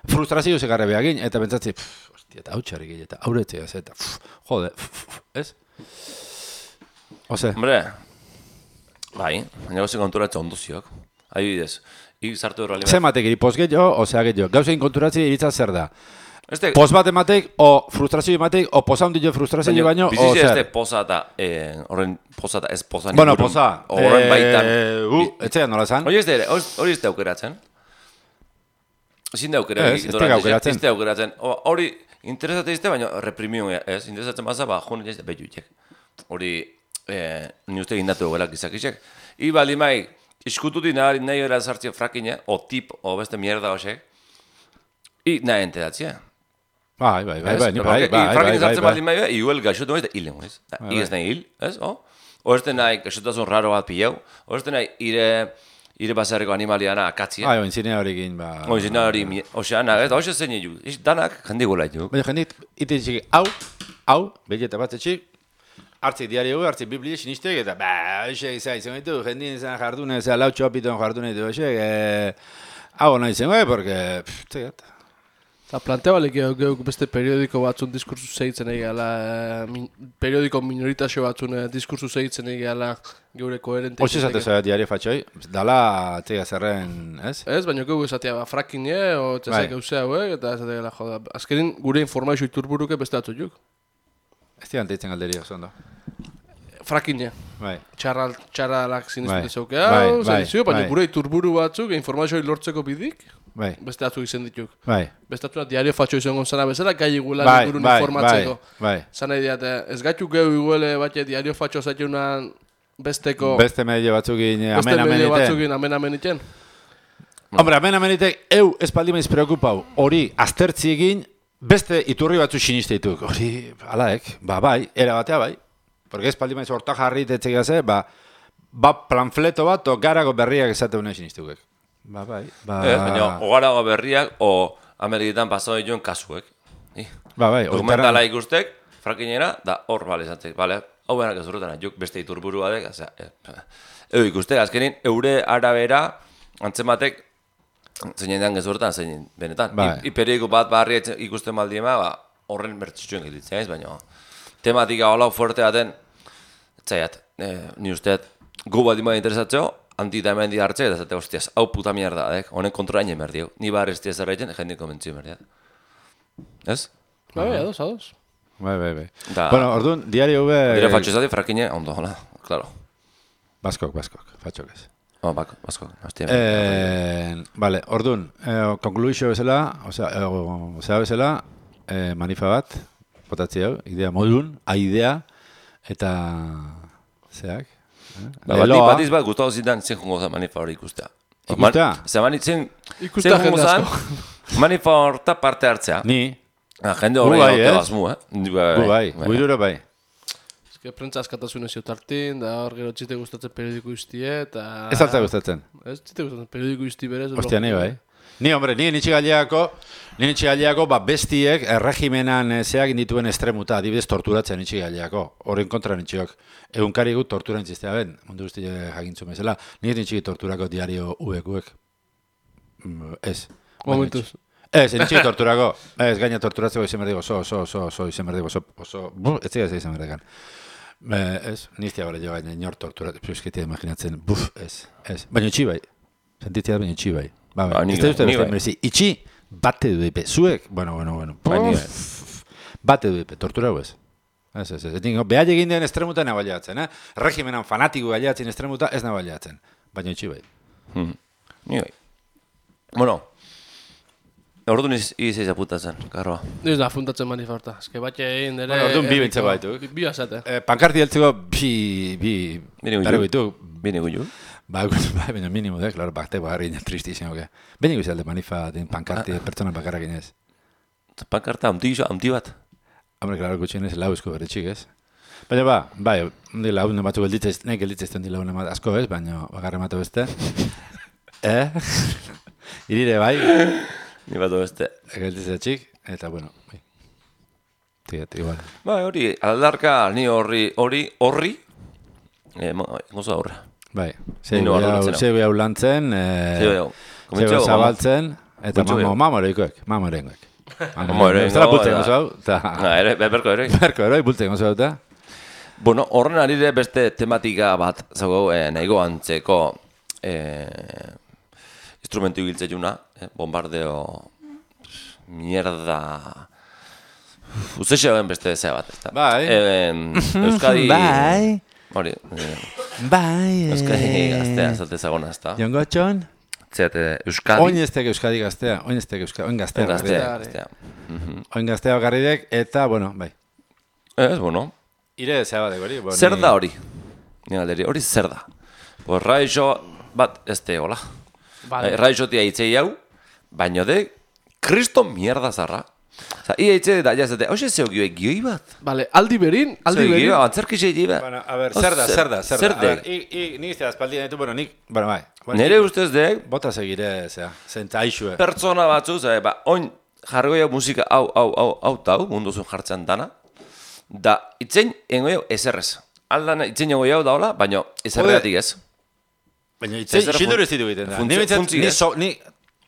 frustrazio zekarre behagin, eta pentsatzi, eta hau txarrik eta auretzea, eta jode, ez? Ose?
Hombre, bai, baina gauzen konturatze onduziok. Adibidez, sartu erreali bat.
Zematek iri poz gehiago, osea gehiago. Gauzen konturatzi iritza zer da?
Este,
poz bat ematek, o frustrazio ematek, o poza hundio frustrazio baino, o zer?
Bizitze este poza eta, horren poza eta ez poza
bueno, poza.
Horren baitan.
Etxean nola zan?
Hori ez da aukeratzen. Ezin da aukeratzen. Ez da aukeratzen. Hori interesatzen izte, baina reprimion ez. Interesatzen baza, jone ez da behiutek. Hori, ni uste gindatu gelak izakisek. Iba limai, iskututi nahi gara sartzea frakine, o tip, o beste mierda hoxek. Nahi enteratzea.
Bai.
Frakine sartzen bat limai, igual gaixotu ez da hilen, ez? Igez nahi hil, ez? O ez da nahi gaixotazun raro bat pillau. O ez da nahi ire basarreko animaliana akatzia.
Oinzine horrekin,
Oinzine hori, oxeana, ez? Oxe zen egin, danak jendik gola egin.
Baina jendik, ite txiki, hau, belleta bat etxik, hartzik diario, hartzik biblia sinistek, eta hoxek izan ditu, jendin izan jardune, lau txopiton jardune ditu, hoxek, hau nahi zen, porque, txegat.
Eta planteabalik geuk beste periodiko batzun diskursu zehitzen egala, periodiko minoritazio batzun diskursu zehitzen egala geure koherente.
Hoxe esatez diario fatxoi, dala txega zerren, ez?
Ez, baina geuk esatea frakine, o txezak eusea hauek, eta esatea gala joda. Azkenin gure informazio iturburuke beste atzutuk.
Ez dian teitzen galderi oso ondo.
Frakine.
Bai.
Txarralak zinezpute zeukea, baina gure iturburu batzuk informazio lortzeko bidik.
Bai.
Beste atzuk izan dituk.
Bai.
Beste atzuna diario fatxo izan gonzana bezala, gai iguela ingurun informatzeko.
Bai.
Zana ideate, ez gaitu gehu iguele batxe diario fatxo zaitunan besteko...
Beste medio batzukin
amen iten.
Hombre, amen itek, espaldi maiz preokupau, hori aztertzi egin, beste iturri batzu sinisteituk. Hori, alaek, bai, era batea bai. Porque espaldi maiz horta jarri tetzek gaze, planfleto bat, o garago berriak esate unai sinistukek. Bai.
Baina, ogarago berriak, o Ameriketan pasau dituen kasuek.
Bai.
Dokumentala ikustek, frakinera, da hor balezatzek, bale? Hau benak ez urtean, juk beste iturburu badek, ikustek, azkenin, eure arabera, antzematek, zein den gezurtan, zein benetan. Periodiko bat barri ikusten baldiema, horren bertxitxuen gilitzen, ez, baina tematika holau fuerte baten, etzaiat, ni usteet, gu bat dima interesatzeo, antita hemen di hartze, eta zate, hostiaz, hau puta mierda, honen kontrola egin berdiu. Ni bar ez diaz erraiten, jendik komentzio berdiat. Ez?
Bai, ados.
Bai. Bueno, orduan, diario hube...
Dire fatxo ezati, frakine, ondo, hola, klaro.
Baskok, fatxok ez.
Baskok, hastia.
Vale, orduan, konkluizio bezala, osea bezala, manifa bat, potatzi hau, idea modun, aidea, eta zeak.
Batiz bat gustatu zidan zen jongo zen manifa hori ikustea.
Ikustea?
Zen jongo zen manifa horta parte hartzea.
Ni?
Jende hori gaute bazmu,
Guirura bai.
Ez que prentza askatasun ezio tartin, da hor gero txite gustatzen periodiko iztie, eta...
Ez alta gustatzen?
Ez txite gustatzen periodiko izti berez.
Ostia, ni bai. Ni, hombre, ni nitxigaliako, bestiek erregimenan zeak indituen estremuta, adibidez torturatzen nitxigaliako. Horren kontra nitxiok. Egunkari gut tortura intzistea ben, mundu guzti jakintzu bezala. Ni nitxigi torturako diario uek. Ez.
Momentuz.
Ez, nitxigi torturako. Ez, gaina torturatzeko izan berdigo, izan berdigo, ez ziga izan berdigan. Ez, niztia bale jo gaina inor torturatzen, pizketia imaginatzen, ez. Baina itxi bai. Sentitzea baina itxi bai. Ez da uste beste merezi. Itxi, bate du zuek, bueno.
Baina,
Bate du tortura ez. Ez. Dingo, behar egin den estremuta nabaliatzen, Regimenan fanatiko galiatzen estremuta ez nabaliatzen. Baina itxi bai.
Ni bai. Bueno, orduan izaiz aputatzen, karroa.
Ez da, funtatzen manifarta. Ez que batxe egin dere...
Bueno, orduan bi bintzeko baituk.
Bi azate.
Pankarti heltzeko bi... Bere bitu.
Bine guiu.
Baina minimo da, klaro, bakte bagarri tristi izango ke. Bene guzalde manifa den pankarti pertsona bakarrak inez.
Pankarta, amti bat.
Hombre, klaro, gutxien ez lauzko bere txik, ez? Baina bai, hundi laune batzu gelditzez, nahi gelditzez hundi laune bat asko ez, baina bakarre matu beste. Irire bai.
Ni batu beste.
Gelditzez txik, eta bueno, bai. Tigat, igual.
Bai, hori, aldarka, ni horri, goza horre.
Bai,
Nino arrolatzen,
zeu hau lantzen, zeu zabaltzen, eta mamoreikoek. Mamoreikoek. Zara bultzen gozu hau, eta...
Berko ere.
Berko ere, bultzen gozu hau, eta...
Bueno, horren arire beste tematika bat, zago, nahigo antzeko instrumentu giltzeiuna, bombardeo, mierda... Uzeixean beste zea bat, ez da.
Bai.
Euskadi...
Bai.
Hori,
Bai.
Euskadi gaztea, zate zagona, ez da.
Jongotxon?
Zeate, Euskadi...
Oin Euskadi gaztea, oin gaztea.
Gaztea.
Oin gaztea bakarridek, eta, bueno, bai.
Ez, bueno.
Ire zea bat hori.
Zer da hori? Hori zer da? Pues raixo bat ez tegola. Raixotia hitzei hau, baino de, kriston mierda zarra. Osa, ia hitze da jazete, hoxe zeu gioi bat?
Vale, aldi berin.
Antzerkizei bat.
Bueno, a ver, zer da.
Zer dek?
Nik iztea espaldi ditu, bueno, bai.
Nere ustez dek,
bota segire, zea, zenta aixue.
pertsona batzu, oin jargoia musika hau, munduzun jartzen dana, da, itzein engoio ezerrez. Aldan itzein engoio hau daola, baina ezerregatik ez.
Baina itzein, xindur ez ditu egiten da.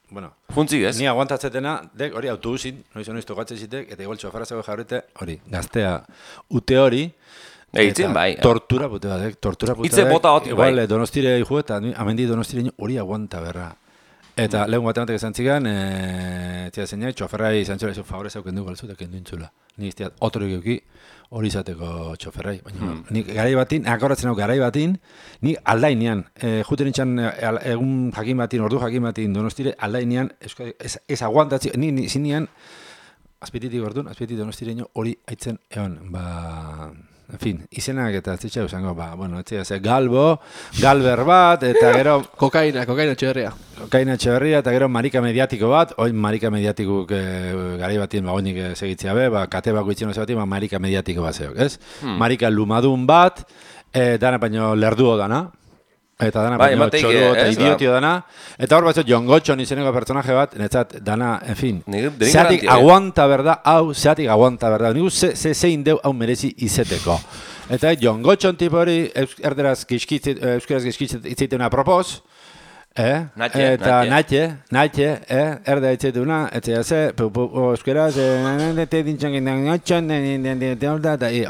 Bueno,
Funtzik ez?
Ni aguantatzetena, dek, hori autobusin, noiz tokatzen zitek, eta igual txofara zego jarrite, hori, gaztea ute hori,
Eitzen bai.
Tortura pute bat, tortura pute bat.
Itze bota hotik bai.
Igual, donostire iku eta amendi donostire hori aguanta berra. Eta lehun batematek esan zigan, tia zeinak, txoferrai izan txola, favorez hauken du galtzu, eta kendu intzula. Ni izteat, otro egeuki, hori izateko txoferrai. Baina, nik garai batin, akorratzen hau garai batin, nik aldainean, juten nintzen egun jakin batin, ordu jakin batin donostire, aldainean, ez aguantatzi, ni zinean, azpititik orduan, azpititik donostireño hori aitzen egon, en fin, izenak eta zitsa usango, bueno, etxea, galber bat, eta gero...
Kokaina etxeberria.
Kokaina etxeberria, eta gero marika mediatiko bat, oin marika mediatikuk garai batien oinik segitzea be, kate bako itxen oso batien, marika mediatiko bat zeok, ez? Marika lumadun bat, dana baino lerduo dana, eta dana baino txoruo eta idiotio dana, eta hor batzot Jongotxon izeneko personaje bat, netzat dana, en fin, zeatik aguanta berda, nigu zein deu hau merezi izeteko. Eta Jongotxon tipo hori, euskaraz gizkitzet itzeitena apropos, eta natxe, erde itzeituna, etzea ze, euskaraz,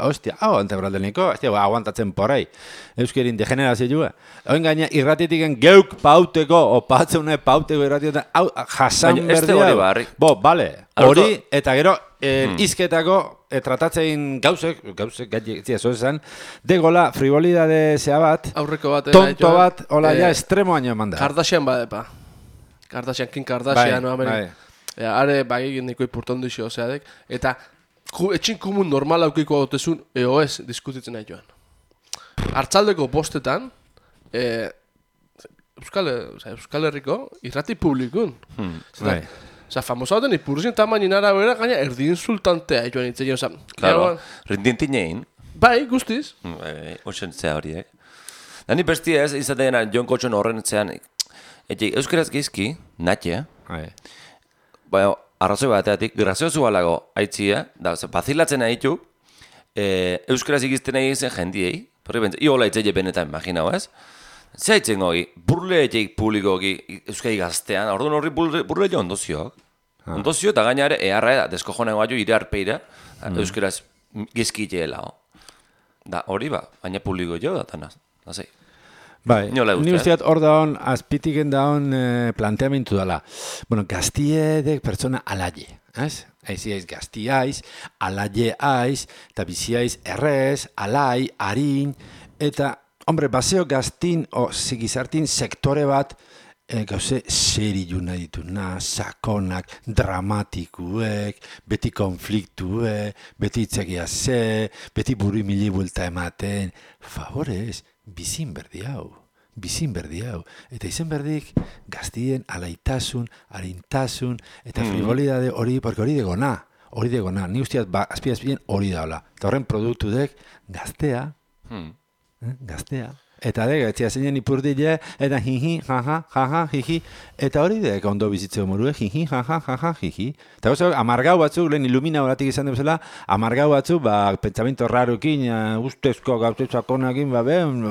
hostia, hau antebraldeniko, aguantatzen porrei, euskerin degenerazioa. Oin gaina irratitiken geuk pauteko, opatzeune pauteko irratietan, hau jasan berdia. Bo, bale, hori, eta gero, izketako, tratatzein gauzek gaitzia zoezan, degola frivolidade zea bat,
aurreko bat,
tonto bat, hola, ja, estremo haino eman da.
Kardashian badepa. Kim Kardashian, no, amene. Are, bagik niko ipurton duxo, ozeadek. Eta, etxin komun normal aukiko agotezun, ez, diskutitzen nahi joan. Artzaldeko bostetan, Euskal Herriko, irrati publikun. Osa, famosa hoten ipurruzin tamainin arabera, gaina erdi insultantea joan itzeien, osa...
Claro, rintintinein.
Bai, guztiz.
Oixen zea horiek. Dani bestia ez, izaten Jongotxon horren zean, euskaraz gizki, natxe, baina, arrazoi bateatik, graziozu balago aitzia, da, bazilatzen nahitu, euskaraz ikizten nahi zen jendiei, porri bentsa, iola itzeie benetan, imaginau ez? Zaitzen gogi, burle etxeik publikoki euskadi gaztean, orduan horri burle jo ondozioak. Ondozio eta gainare, eharra deskojonen guaio ire arpeira, euskaraz gizkiteela. Da, hori ba, baina publiko jo da, tanaz, nazei.
Bai,
Nola
ni
uste,
usteat hor daun, azpitiken daun planteamentu dela. Bueno, gaztiedek pertsona alaie, ez? Aiz gaztiaiz, alaie aiz, eta biziaiz errez, alai, harin, eta, hombre, baseo gaztin, zigizartin sektore bat, gauze seriu nahi dituna, sakonak, dramatikuek, beti konfliktuek, beti itzegia ze, beti buru mili buelta ematen, favorez, bizin berdi hau. Eta izen berdik gaztien alaitasun, harintasun, eta frivolidade hori, porque hori degona. Ni usteat azpien hori daula. Eta horren produktu dek gaztea, gaztea. Eta etzia zeinen ipurdile, eta jiji, jaja, jiji. Eta hori dek ondo bizitzeo morue, jiji, jaja, jiji. Eta oso, amargau batzuk, lehen ilumina horatik izan duzela, amargau batzuk, pentsamento rarukin, ustezko gauztezakonakin,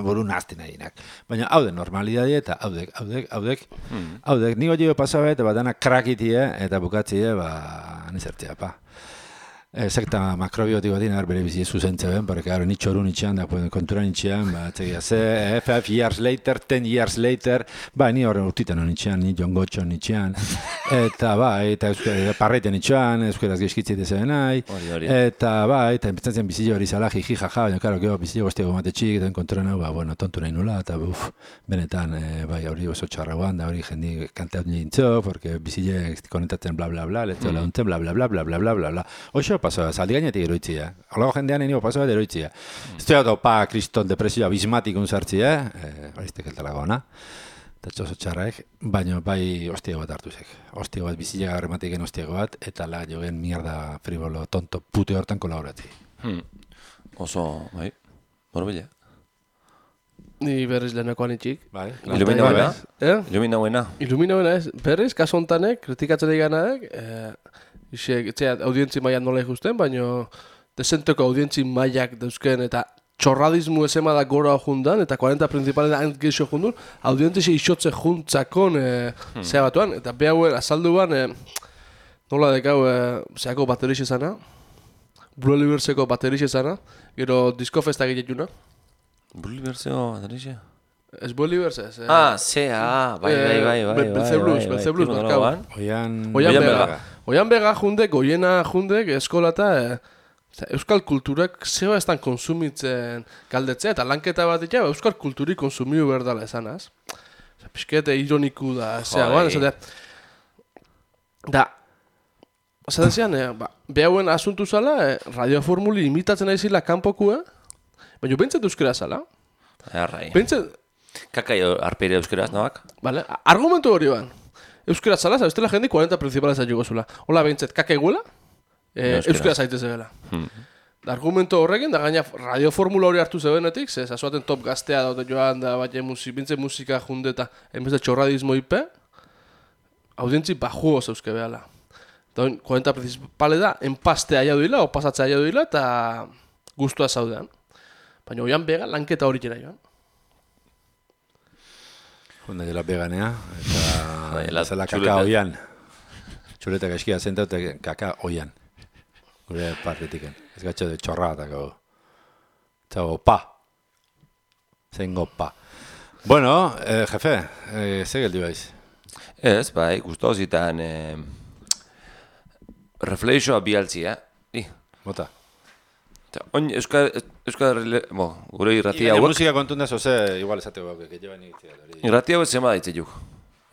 buru nazten nahinak. Baina haude normalidade eta haudek. Ni hori pasabe, eta dana krakitie, eta bukatzie, nizertzea, sekta makrobiotiko bat dina bere bizi zuzentzen ben, porque ni txoru nitxean, da kontura nitxean, txegia ze, 5 years later, 10 years later, ni horren urtitan nitxean, ni John Gotcho nitxean, eta eta parreiten nitxean, euskaraz gizkitzite zen nahi, eta eta empezantzen bizile hori zala, jiji, jaja, baina, karo, gero bizile goztiago mate txik, eta kontura nahi, tontu nahi nula, eta benetan, hori oso txarragoan, da hori jendi kanteat nintzo, porque bizile konetatzen bla bla bla, letzo launtzen bla bla bla bla bla bla bla bla. Oixo pasoa, zaldi gainetik eroitzia. Horlago jendean enio pasoa eroitzia. Ez dugu kriston depresio abismatikun sartzia, horiztek eltalago ona. Eta txoso txarraek, baina bai hostiago bat hartuzek. Hostiago bat, bizilega garrematiken hostiago bat, eta la jogen mierda frivolo, tonto, pute hortan kolaboratzi.
Oso, bai, borbila.
Ni berriz lehenakoan itxik.
Bai,
Ilumina buena.
Ilumina buena ez. Berriz, kaso hontanek, kritikatzen eganaek, audientzi mailan nola ikusten, baina desenteko audientzi mailak dauzken eta txorradismu esema da gora jundan, eta 40 principalen antgeixo jundun, audientzi isotze juntzakon zea batuan, eta behauen azalduan, nola dekau, zeako baterixe zana, Blue Liberseko baterixe zana, gero Disco Festa giletuna.
Blue Liberseko baterixe?
Ez Blue Libers ez.
Bai.
Belzeblus, markau. Oian bega jundek, oiena jundek, eskolata, euskal kulturak zeba estan konsumitzen galdetzea, eta lanketa bat ditu, euskal kulturi konsumiu berdala esanaz. Piskete ironiku da, esatean, behauen asuntu zala, radioformuli imitatzen aizila kanpokua, baina bentzat euskera zala.
Kakai arpeire euskeraz, nabak?
Vale, argumentu hori ban. Euskera zala, zabestela jende 40 principales ajugo zula. Hola, behintzet, kaka iguela, euskera zaitez ebela. Argumento horrekin, da gaina radioformula hori hartu zebenetik, ze zazuaten top gaztea daute joan, da bat bintze musika junde eta enbez de txorradismo ipe, audientzi bajuoz euske behala. Da 40 principale da, enpaste aia duila, o pasatze aia duila, eta guztua zaudean. Baina oian bega lanketa hori jera joan.
Junda dela veganea, eta zela kaka oian. Txuleta gaizkia zenta eta kaka oian. Gure partetiken. Ez gatxo de txorra eta gau. Txago, pa. Zengo pa. Bueno, jefe, ze geldi baiz?
Ez, bai, guztozitan reflexioa bialtzia.
Bota.
Gure irratia hauek...
Musika kontunda zoze, igual esateko hauek, que llevan initzia.
Irratia hauek zema ditzituk.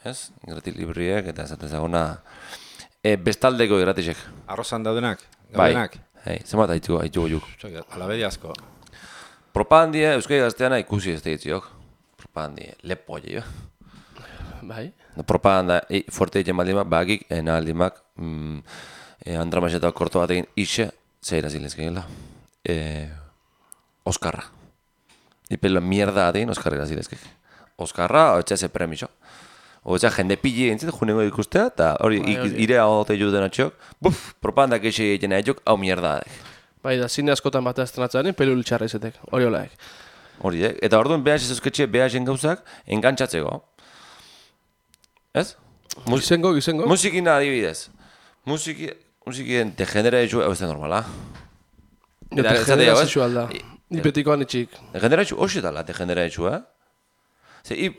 Ez? Irrati libriek eta esaten zagona... Bestaldeko irratixek.
Arrozan daudenak?
Bai, zema ditzuko juk.
Alabedi asko.
Propagandie, Euskadi Gazteana ikusi ez ditziok. Propagandie, lepo jo.
Bai.
Propaganda fuerte egin baldimak, bagik, aldimak, Andramaseta korto batekin ixe, zeira zilezkeela. Oskarra. Ipelo mierda atein Oskarra zilezkek. Oskarra, hotxa ze premiso. Hotxa jende pili entzit, junengo ikustea, eta hori irea ote juden atxok, propaganda keixe egiten atxok, hau mierda ateik.
Bai, da zine askotan batea estrenatzen, pelu txarra izetek, hori olaek.
Hori, eta orduan behaz ezuzketxe behazen gauzak, engantzatzeko. Ez?
Gizengo.
Musikina adibidez. Musikien degeneratxu, hau ez da normala.
Degeneratxu alda. Nipetikoan itxik.
Degeneratxu hoxetala, degeneratxu,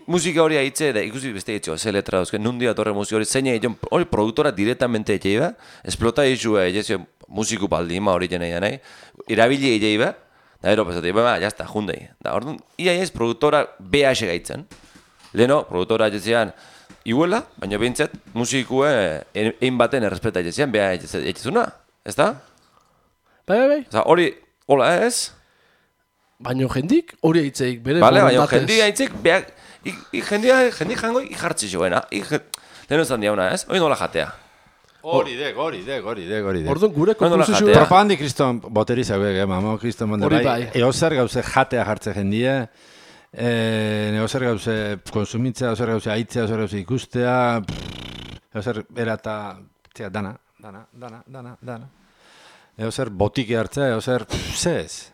musika hori haitze, da ikusi beste etxo, ze letra dauzke, nundi atorre musika hori, zein egin, hori produktora directamente etxei ba, esplota izua, egezio, musiku baldima hori jene nahi, irabili egei ba, da ero pesate, jazta, jundei. Da, orduan, ia ez produktora BH gaitzen. Leno, produktora etxean, iguela, baina behintzat, musikue egin baten errespeta etxean, BH etxezuna, ez da?
Bai.
Hori, hola ez?
Baina jendik hori aitzeik, bere
Vale, baina
borondatez.
jendik aitzik, jendik jango ikartzi joena. Lehen ezan diauna ez? Hori nola jatea.
Hori dek.
Orduan gure
Ondo la
konposizioa...
jatea.
Propagandi kriston boteri zauek, mamo kriston monde
Hori
bai.
bai.
Eozer gauze jatea jartze jendie, eozer gauze konsumitzea, eozer gauze aitzea, eozer gauze ikustea, eozer erata, dana. Eozer botike hartzea, eozer, zez.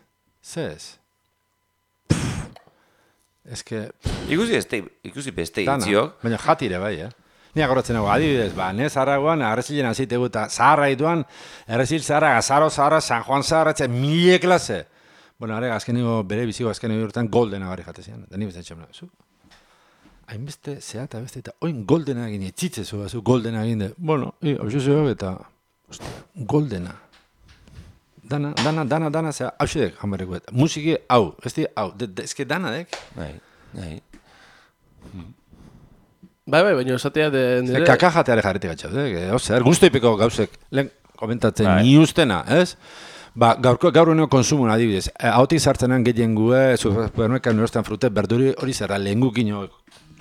Eske,
Ikusi beste
dana,
itziok.
baina jatire bai, Ni agoratzen nago, adibidez, ne Zaragoan, arrezilen azitegu eta zaharra ituan, errezil zaharra, Gazaro zaharra, San Juan zaharra, mile klase. Bueno, are, azkeniko bere biziko azkeniko urtean goldena gari jatezian. Da ni bezan txamena, zu? Hainbeste, zea eta beste, eta oin goldena egin, etxitze zu, goldena egin, bueno, hau zuek eta, ostia, goldena. Dana, zea, hau zedek, hambareko, musiki, hau, hau, ezke danadek.
Bai.
Bai, baina esatea nire...
Kaka jateare jarrete gatxau, ozer, guztoipeko gauzek, lehen komentatzen
Bai.
ni ustena, ez? Ba, gaur honeko konsumun adibidez, hautik sartzenan gehien gue, supermerkan erosten frute, berduri hori zerra, lehengukin,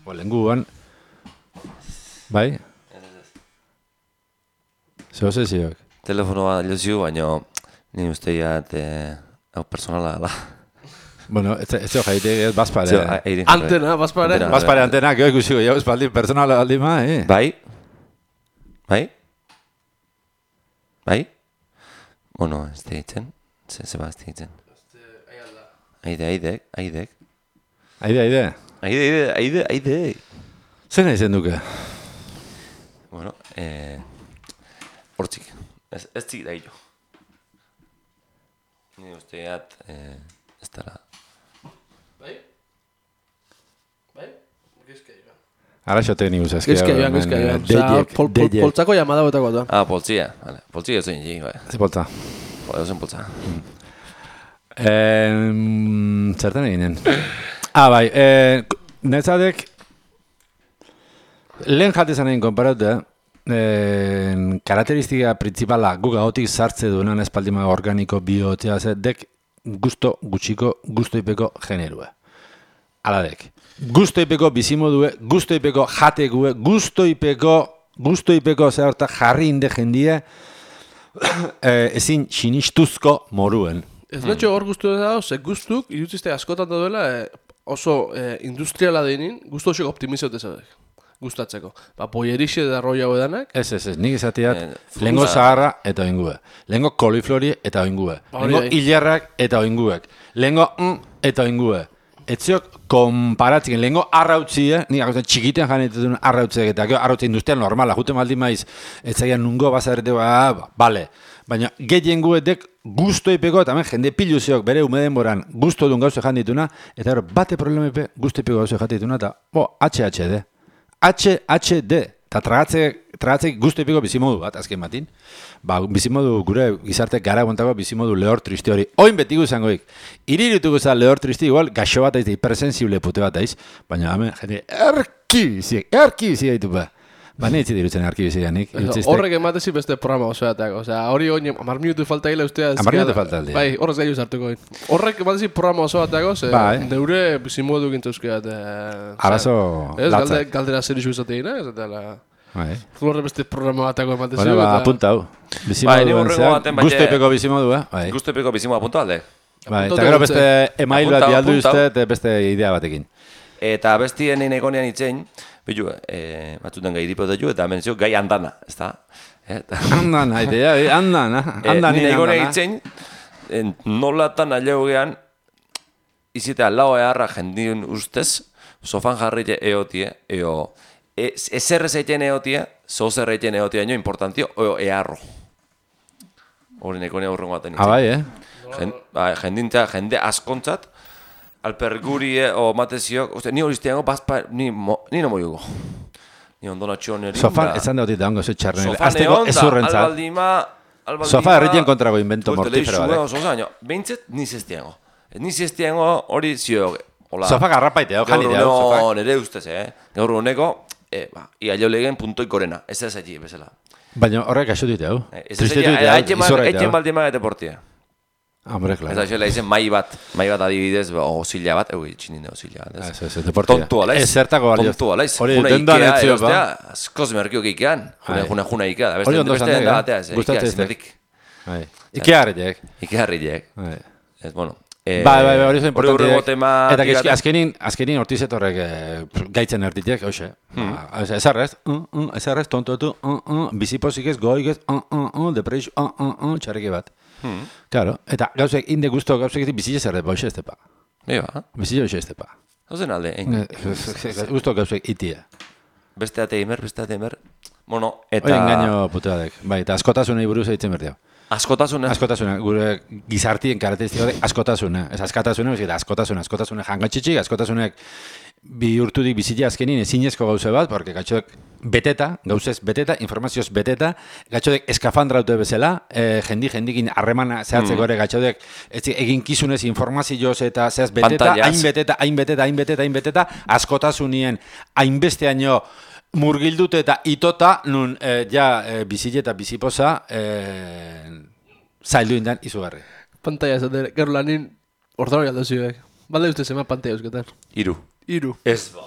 lehenguan, bai? Zeo zezioak?
Telefonoa lezio, baina ni usteiat hau personala da.
Bueno, ez zeo jaitek, ez bazpare.
Antena, bazpare.
Antena.
Bazpare antena, gero ikusiko, jau espaldi, personala aldima,
Bai? Bueno, ez deitzen. Zeba ez deitzen. Aidek. Aide.
Zer nahi zen duke?
Bueno, hortzik. Ez zik da hillo. Ni usteat, ez dara.
Bai? Gizka joan.
Ara xote ni guzazkia.
Gizka joan. Osa, poltsako llamada betako da.
Ah, poltzia. Vale. Poltzia ez zen jik, bai.
Ze polta.
Joder, poltza.
Zertan eginen? Bai, netzadek, lehen jatezan egin konparatu, karakteristika principala guk ahotik sartze duenan espaldima organiko biotea dek gusto gutxiko, gustoipeko generua. Aladek. Gustoipeko bizimodue, gustoipeko jategue, gustoipeko zehorta jarri inde jendie ezin sinistuzko moruen.
Ez netxo hor guztu da, ze guztuk, irutizte askotan da duela, oso industriala denin, guztu oso optimizote zaudek. Gustatzeko. Ba, boierixe da roi hau edanak.
Ez, nik izateat, lehengo zaharra eta oingue. Lehengo koliflori eta oingue. Lehengo hilerrak eta oinguek. Lehengo eta oingue. Etziok konparatzik, lehengo arrautzie, nik akotzen txikiten janetetun arrautziak eta arrautze industrial normala, jute maldi maiz, etzaian nungo bazarete, bale. Baina gehien guetek guztoipeko, eta hemen jende piluziok bere umeden boran guzto duen gauze jandituna, eta bate problemepe guztoipeko gauze jandituna, eta HHD. HHD, eta tragatzek guztoipeko bizimodu bat, azken batin. Ba, bizimodu gure gizarte gara guantako bizimodu lehor tristi hori. Oin betigu izangoik. Irirituko za lehor tristi, igual, gaxo bat aiz, hipersensible pute bat aiz, baina hemen jende erkibizik gaitu ba. Ba, nintzi dirutzen arkibizianik.
Horrek ematezi beste programa osoatak. Osea, hori oin, 10 minutu falta gila ustea.
10 minutu falta aldi.
Bai, horrez gaitu zartuko. Horrek ematezi programa osoatako, ze neure bizimodu gintuzkeat.
Arazo
latzak. Ez, galdera zer isu izateina, ez eta... Horre beste programa batako ematezi.
Bueno, ba, apunta hau. Bizimoduen zeak, guztoipeko bizimodu,
Guztoipeko bizimodu apunta alde.
Bai, eta gero beste email bat bialdu uste, eta beste idea batekin.
Eta bestien egonean itzein, bilu, batzuten gai dipot dugu, eta menzio gai andana, ez da?
Andana, andana.
Nire egonean itzein, nolatan aleugean, izitea lau eharra jendien ustez, sofan jarrite eotie, ezer ezeiten eotie, zozer eiten eotie nio importantio, eharro. Hori egonean urrengo baten itzein.
Bai,
Jende askontzat, alperguri o matezio, ni hori izteango, ni no moiugo. Ni ondonatxo neri.
Sofan, esan dautit da hongo ze txarren.
Sofan egon da, albaldima...
Sofa erritien kontrago invento mortifero
bat. Behintzet, niz estiango. Niz estiango hori zio.
Sofa garrapaite, jani deo.
Gaur nire ustez, gaur honeko, ia jo legen puntoi korena. Ez ez egi, bezala.
Baina horrek aixo dute, hau?
Tristetu dute, izorra dute, hau? Etxen baldima eta portia.
Hombre, claro.
Eta xela izen mai bat adibidez, osila bat, txinin da osila bat.
Ez, deportia.
Tontu alaiz.
Zertako balio.
Tontu alaiz.
Hori dendan etzio, ba.
Askoz merkiok ikean. Juna Ikea.
Hori ondo zandek, gustatzen ez dek. Ikea harriek.
Ikea harriek. Ez, bueno.
Bai, hori zo importante.
Eta
azkenin hortizet horrek gaitzen erditek, hoxe. Ezarrez, tontotu, bizipozik ez, goik ez, depresio, txarriki bat. Claro, eta gauzek, inde guztu gauzek bizitze zerret, hoxe ez tepa.
Eba.
Bizitze hoxe ez tepa.
Hauzen alde,
Guztu gauzek itia.
Beste ateimer. Bueno, eta...
Hori engaino puteadek. Bai, eta askotasunei buruz egiten berdiau.
Askotasuna,
gure gizartien karakteristikoak askotasuna. Ez askatasuna, ez askotasuna jangatxitxik, askotasunek bihurtudik bizitia azkenin ezinezko gauze bat, porque gatxodek gauzez beteta, informazioz beteta, gatxodek eskafandraute bezala, jendikin harremana zehatzeko ere gatxodek eginkizunez informazioz eta zehaz beteta, hainbeteta, askotasunien hainbesteaino murgildute eta itota, nun bizile eta bizipoza zaildu indan izugarri.
Pantalla esaten, gero lanin ordorri aldo zioek. Balde uste zema pantalla euskaten. Iru.
Ez ba.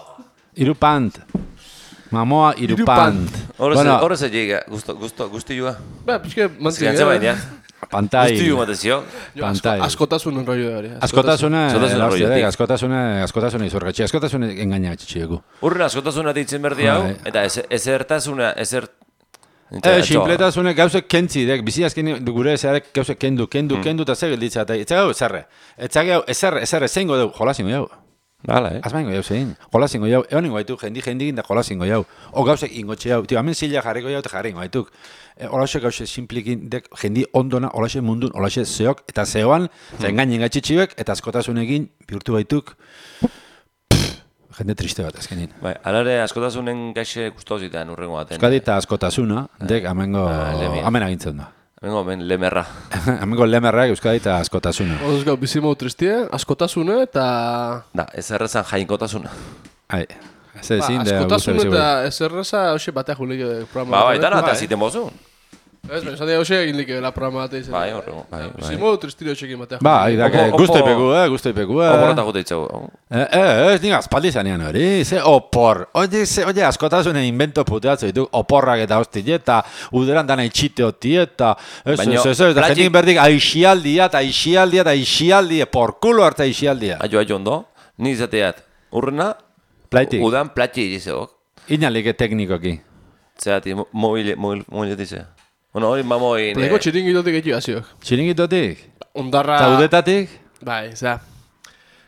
Iru pant. Mamoa iru pant.
Horrez egiga, guzti joa.
Ba, pixke mantzik.
Zigantza baina.
Pantai.
Guzti joa matezio.
Pantai.
Askotasunen rollo da hori.
Askotasuna izorgatxe. Askotasuna engaina gatxitxieku.
Urren askotasuna ditzen berdi hau, eta ezertasuna,
Simpletasune gauzek kentzi, bizi azken gure ezarek gauzek kendu, eta zer gilditza, eta etzagau ezarre, zeingo dugu, jolazingo jau.
Hala,
Azmaingo jau zein, jolazingo jau, eoningo haituk, jendikin da jolazingo jau. O gauzek ingotxe jau, hemen zila jarriko jau, eta jarringo haituk. Olaxe gauze simplikin, jendi ondona, olaxe mundun, olaxe zeok, eta zeoan, zengainen gatxitxiek, eta askotasunekin bihurtu baituk, jende triste bat azkenin.
Bai, alare askotasunen gaixe guztauzitan urrengo baten.
Euskadi eta askotasuna, amengo amena gintzen da.
Amengo lemerra.
Amengo lemerrak Euskadi eta askotasuna.
Ozgau, bizimau tristie, askotasuna eta...
Da, ez errezan jainkotasuna.
Ai, ez ezin da...
Askotasuna eta ez erreza hoxe batea juleio de programa.
Ba, eta nata ziten bozun.
Ez, baina zatea hoxe egin like la programa bat egin.
Bai, horrego.
Bizimau tristire hoxe egin batea
juleio. Ba, idak, guztoipeku.
Oporrata jute itxau.
Ez, nik aspaldi zanean hori, ze opor. Oye, askotasunen invento puteatzo ditu, oporrak eta hostile, eta uderan dana itxite hoti, eta... Ez, jendik berdik aixialdia, porkulo hartza aixialdia.
Aio ondo, ni izateat, urrena, udan plati egizeok.
Inalik teknikoki.
Zerati, mobil dize. Bueno, hori mamoin...
Pleko txiringitotik egin aziok.
Txiringitotik?
Ondarra...
Zaudetatik?
Bai, za.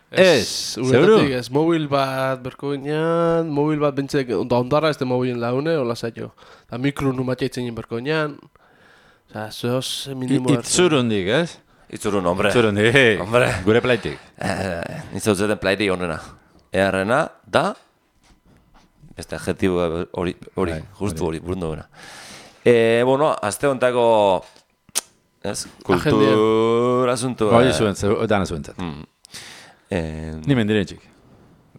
Zeuru?
Ez, mobil bat berko ginean, mobil bat bentsek, ondarra ez de mobilen laune, hola zailo. Da mikro numatia itzen berko ginean. Oza, zoz minimo...
Itzurundik, ez?
Itzurun, hombre.
Itzurundik.
Hombre.
Gure plaitik.
Nizautzeten plaitik honrena. Earrena, da... Beste adjetibo hori, justu hori, burundu gana. Bueno, azte hontako... Ez? Kultura asuntua.
Hori zuen, dana zuentzat. Ni mendiren txik.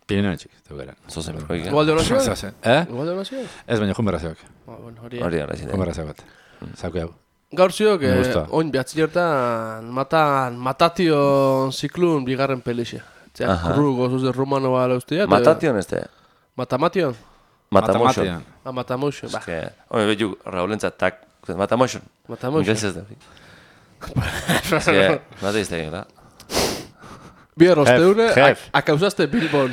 Pirinaren txik, teukera.
Zozen, berko egin.
Igual de honazioak?
Zozen.
Igual de honazioak?
Ez baina, junberrazioak.
Hori.
Hori gara ziren.
Junberrazioak bat. Zauke hau.
Gaur ziok, oin behatzi jertan, matation ziklun bigarren pelixe. Kurru gozuz de rumano bala ustia.
Matation ez te?
Matamation?
Matamotion.
Matamotion, ba.
Home, behiu, Raulentza, tak, Matamotion.
Matamotion.
Inglesez da. Mata izte egin, da.
Bier, osteune, akauzaste Bilbon.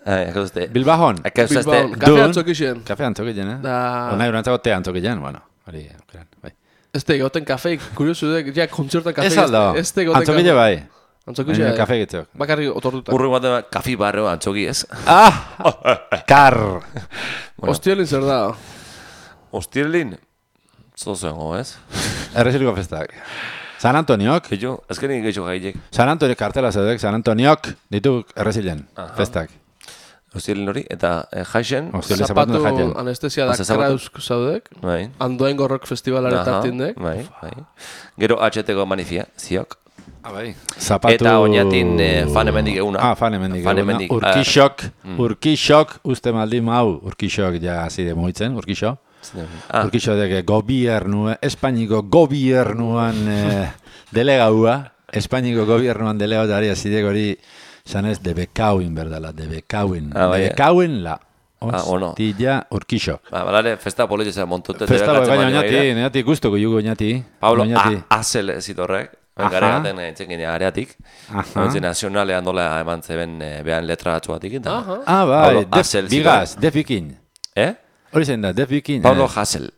Akauzaste.
Bilbahon.
Akauzaste.
Kafe antzokixen.
Kafe antzokixen, eh?
Da...
Ona urantzago te antzokixen, bueno. Hori, bai.
Ez te goten kafeik, kuriosu dek, ja, kontzertan kafeik.
Ez aldo, antzokile bai.
Antzokixen.
Kafe gitzeok.
Bakarri otortuta.
Urru batean, kafi barreo antzoki ez.
Kar!
Ostielin zer da?
Ostielin? Zozengo, ez?
Erreziliko festak. San Antoniok.
Gehiago, azkenik gehiago gaiek.
San Antonio kartela zaudek, San Antoniok ditu errezilen, festak.
Ostielen hori, eta jaixen.
Ostiole
Zapatu
zapatu jaten.
anestesia da
Oza, zapatu.
krauzk zaudek.
Bai.
Andoaingo rock festivalare tartindek.
Bai. Gero HT-ko manifia, ziok.
Bai. Zapatu...
Eta oinatin fan hemendik eguna.
Fan hemendik
Fan
eguna.
hemendik,
Urkixok, uste maldi mau, urkixok ja hasi de mugitzen, urkixo. Urkixo deke gobiernu, Espainiko gobiernuan delegaua, Espainiko gobiernuan delegautari hasi de hori, zanez, de bekauin berdala, de bekauin. De bekauin la. Ostilla, urkixo.
Balare, festa politxe montute.
Festa baina oinati guztoko jugu oinati.
Pablo Azel zitorrek. Gara gaten txekin areatik. Ointzi nazionalean dola eman zeben behan letra batzu batik.
Bai, bigaz, defikin. Hori zen da, defikin.
Pablo Hassel.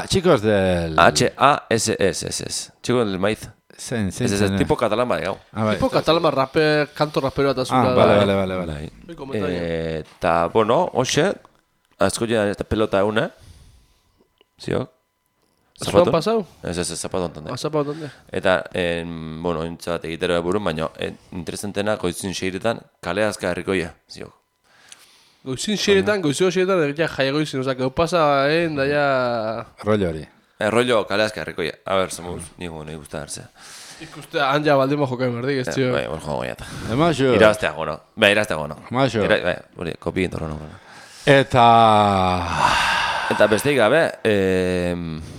Chicos del...
H-A-S-S-S. Chicos del maíz.
Zen.
Tipo catalan bai, gau.
Tipo catalan rapper, kanto rapero eta zura.
Vale.
Eta, bueno, hoxe, asko ja pelota euna. Ziok?
Zapaton pasau?
Ez, zapaton tonde.
Zapaton tonde.
Eta, bueno, intzat egitero burun, baina interesantena goizin seiretan kale azka herrikoia, ziok.
Goizin seiretan, egitea jaiagoizin, oza, gau pasa, daia...
Rollo hori.
Rollo kale azka herrikoia. A ber, somos, nigu, nahi guzta hartzea.
Ikuste, anja baldima jokain berdik, ez tio.
Bai, jokain goiata.
Emaxo.
Irazteago, no? Bai, irazteago, no?
Emaxo.
Bai, hori, kopi intorro, no?
Eta
besteik gabe...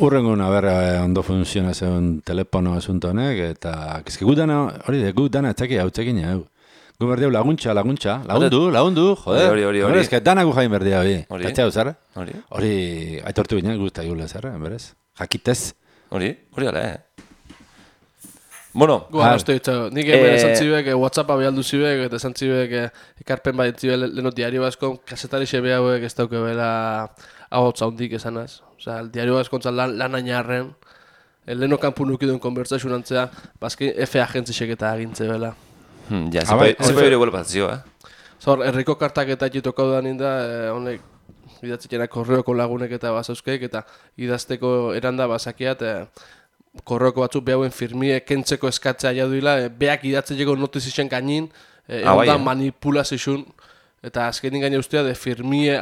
Urrengun, ondo funziona zeun telefono asunto honek, eta... Kezke gu dana, hori de, gu dana etxaki hau txekin jau. Gu berdeu laguntza, lagundu, joder.
Hori.
Ez que dana gu jain berdea, hori.
Hori.
Katxau, zer?
Hori.
Hori, aitortu ginen, guzta gula, zer, berez? Jakitez.
Hori ala, Bueno.
Gu arrastu ditzago. Nik hemen esan zibek, WhatsAppa behaldu zibek, eta esan zibek, ekarpen bat zibek leno diario baskon, kasetari xebe hauek ez dauke bela ahotza hundik esanaz. Osa, el diario baskontzan lan ainarren, leno kanpu nukiduen konbertsazio antzea, bazki F agentzisek eta agintze bela.
Ja, zepa hori guela patzio,
Zor, herriko kartak eta jitokau da ninda, honek, idatzikena korreoko lagunek eta bazauzkeik, eta idazteko eranda bazakiat, korreoko batzuk behauen firmie kentzeko eskatzea jaduila, beak idatzeko notizien gainin, egon da manipulazioen, eta azkenin gaine ustea de firmie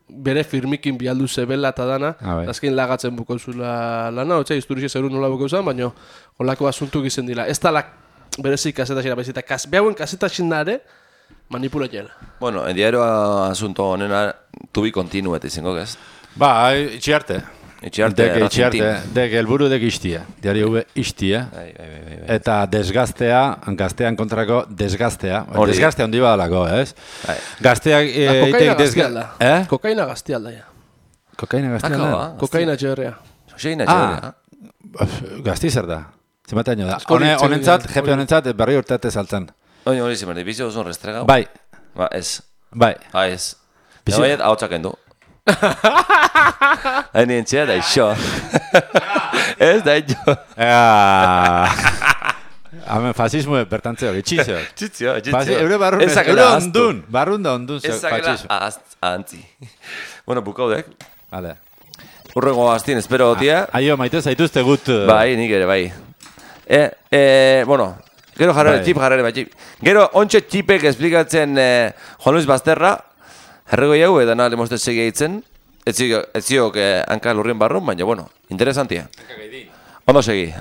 bere firmikin bialdu zebela eta dana, azken lagatzen bukozula lana, hotza, historixe zerun nola bukozan, baina holako asuntu gizen dila. Ez da berezik kasetaxina, bezita, behauen kasetaxina ere, manipulatela.
Bueno, en diario asunto honena tubi continu eta izango gez.
Ba, itxiarte.
Itxiarte.
Dek elburu dek istia. Diario hube istia.
Bai.
Eta gaztean kontrako desgaztea. Desgaztea hondi badalako, ez? Gazteak...
Kokaina gaztealda. Kokaina gaztealda, ja.
Kokaina gaztealda?
Kokaina txerrea.
Gazti zer da? Zemataino da. Honentzat, jefe honentzat, berri urteate saltzen.
Hori zimerdi, bizio oso restregau?
Bai.
Ba, ez.
Bai.
Ez. Baiet, hau txaken du. Hain entxea da iso. Ez da iso.
Hemen fasismo bertantze hori, txizio.
Txizio.
Eure ondun. Barrunda ondun.
Ezakela ahantzi. Bueno, bukaudek.
Vale.
Urrengo aztien, espero tia.
Aio, maite zaituzte gut.
Bai, nik ere, bai. Bueno, gero jarrere, txip. Gero, ontsa txipek esplikatzen Juan Luis Basterra, herrego jau, edan alemozte segia hitzen, ez ziok hanka lurrien barrun, baina, bueno, interesantia. Ondo segi.